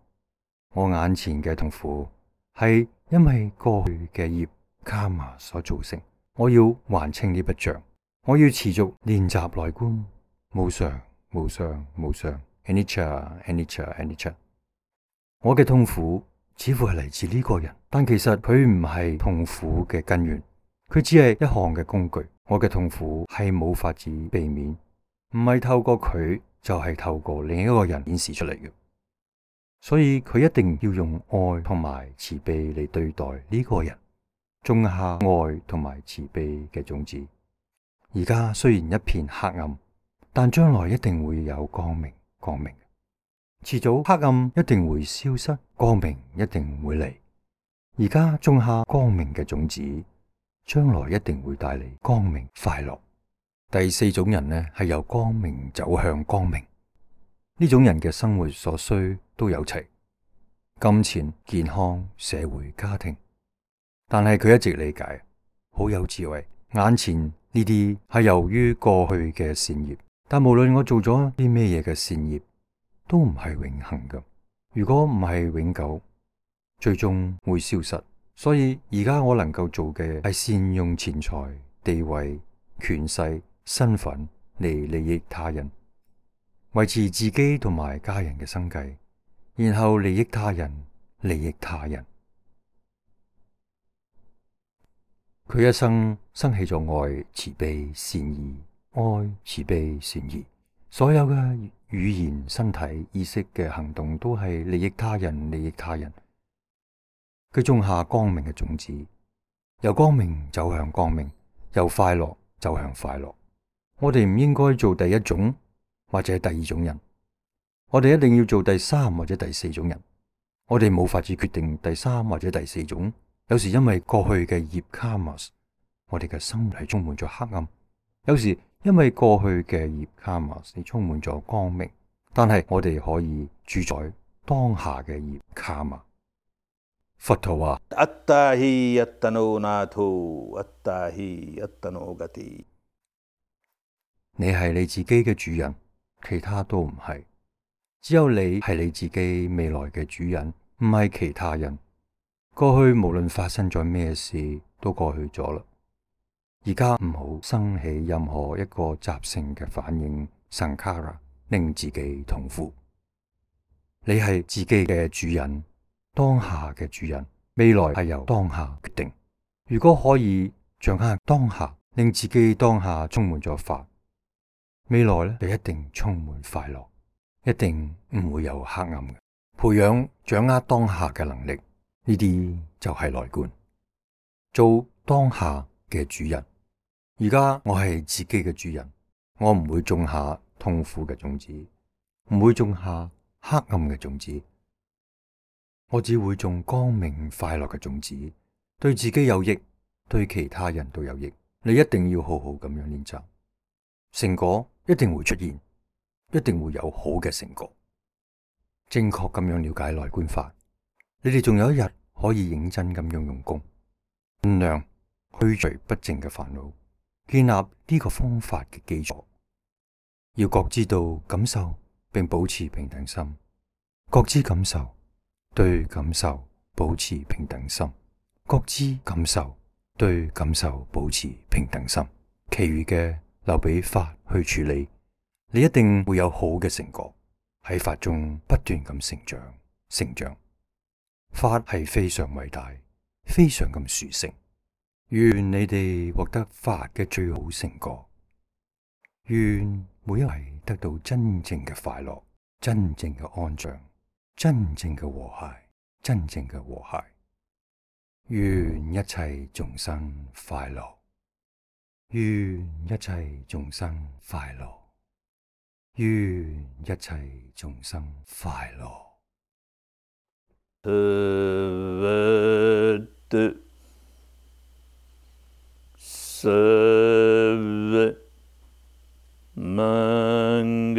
A: 我眼前嘅痛苦係因為過去嘅業卡瑪所造成。我要還清呢筆賬，我要持續練習內觀，無常、無常、無常 anicca anicca anicca。我嘅痛苦似乎係嚟自呢個人，但其實佢唔係痛苦嘅根源，佢只係一項嘅工具。我嘅痛苦係冇法子避免，唔係透過佢，就係透過另一個人顯示出嚟嘅。所以佢一定要用愛同埋慈悲嚟對待呢個人，種下愛同埋慈悲嘅種子。而家雖然一片黑暗，但將來一定會有光明。光明遲早黑暗一定會消失，光明一定會嚟。而家種下光明嘅種子，將來一定會帶嚟光明快樂。第四種人呢，係由光明走向光明。呢種人嘅生活所需都有齊，金錢、健康、社會、家庭。但係佢一直理解，好有智慧。眼前呢啲係由於過去嘅善業，但無論我做咗啲咩嘢嘅善業，都唔係永恆嘅。如果唔係永久，最終會消失。所以而家我能夠做嘅係善用錢財、地位、權勢、身份嚟利益他人，維持自己同埋家人嘅生計，然後利益他人，利益他人。佢一生生起咗愛、慈悲、善意，愛、慈悲、善意，所有嘅語言、身體、意識嘅行動都係利益他人，利益他人。佢種下光明嘅種子，由光明走向光明，由快樂走向快樂。我哋唔應該做第一種或者第二種人，我哋一定要做第三或者第四種人。我哋冇法子決定第三或者第四種。有時因為過去嘅業卡瑪，我哋嘅生活係充滿咗黑暗；有時因為過去嘅業卡瑪，你充滿咗光明。但係我哋可以主宰當下嘅業卡瑪。佛陀話：Atta hi attano natho, atta hi attano gati。你係你自己嘅主人，其他都唔係。只有你係你自己未來嘅主人，唔係其他人。過去無論發生咗咩事，都過去咗啦。而家唔好生起任何一個習性嘅反應，sankhara，令自己痛苦。你係自己嘅主人。當下嘅主人，未來係由當下決定。如果可以掌握當下，令自己當下充滿咗法，未來咧就一定充滿快樂，一定唔會有黑暗嘅。培養掌握當下嘅能力，呢啲就係內觀，做當下嘅主人。而家我係自己嘅主人，我唔會種下痛苦嘅種子，唔會種下黑暗嘅種子。我只會種光明快樂嘅種子，對自己有益，對其他人都有益。你一定要好好咁樣練習，成果一定會出現，一定會有好嘅成果。正確咁樣了解內觀法，你哋仲有一日可以認真咁樣用功，盡量去除不淨嘅煩惱，建立呢個方法嘅基礎。要覺知到感受，並保持平等心，覺知感受。對感受保持平等心，覺知感受，對感受保持平等心，其餘嘅留俾法去處理。你一定會有好嘅成果，喺法中不斷咁成長成長。法係非常偉大，非常咁殊勝。願你哋獲得法嘅最好成果，願每一位得到真正嘅快樂，真正嘅安詳，真正嘅和諧，真正嘅和諧。願一切眾生快樂，願一切眾生快樂，願一切眾生快樂。Mangalam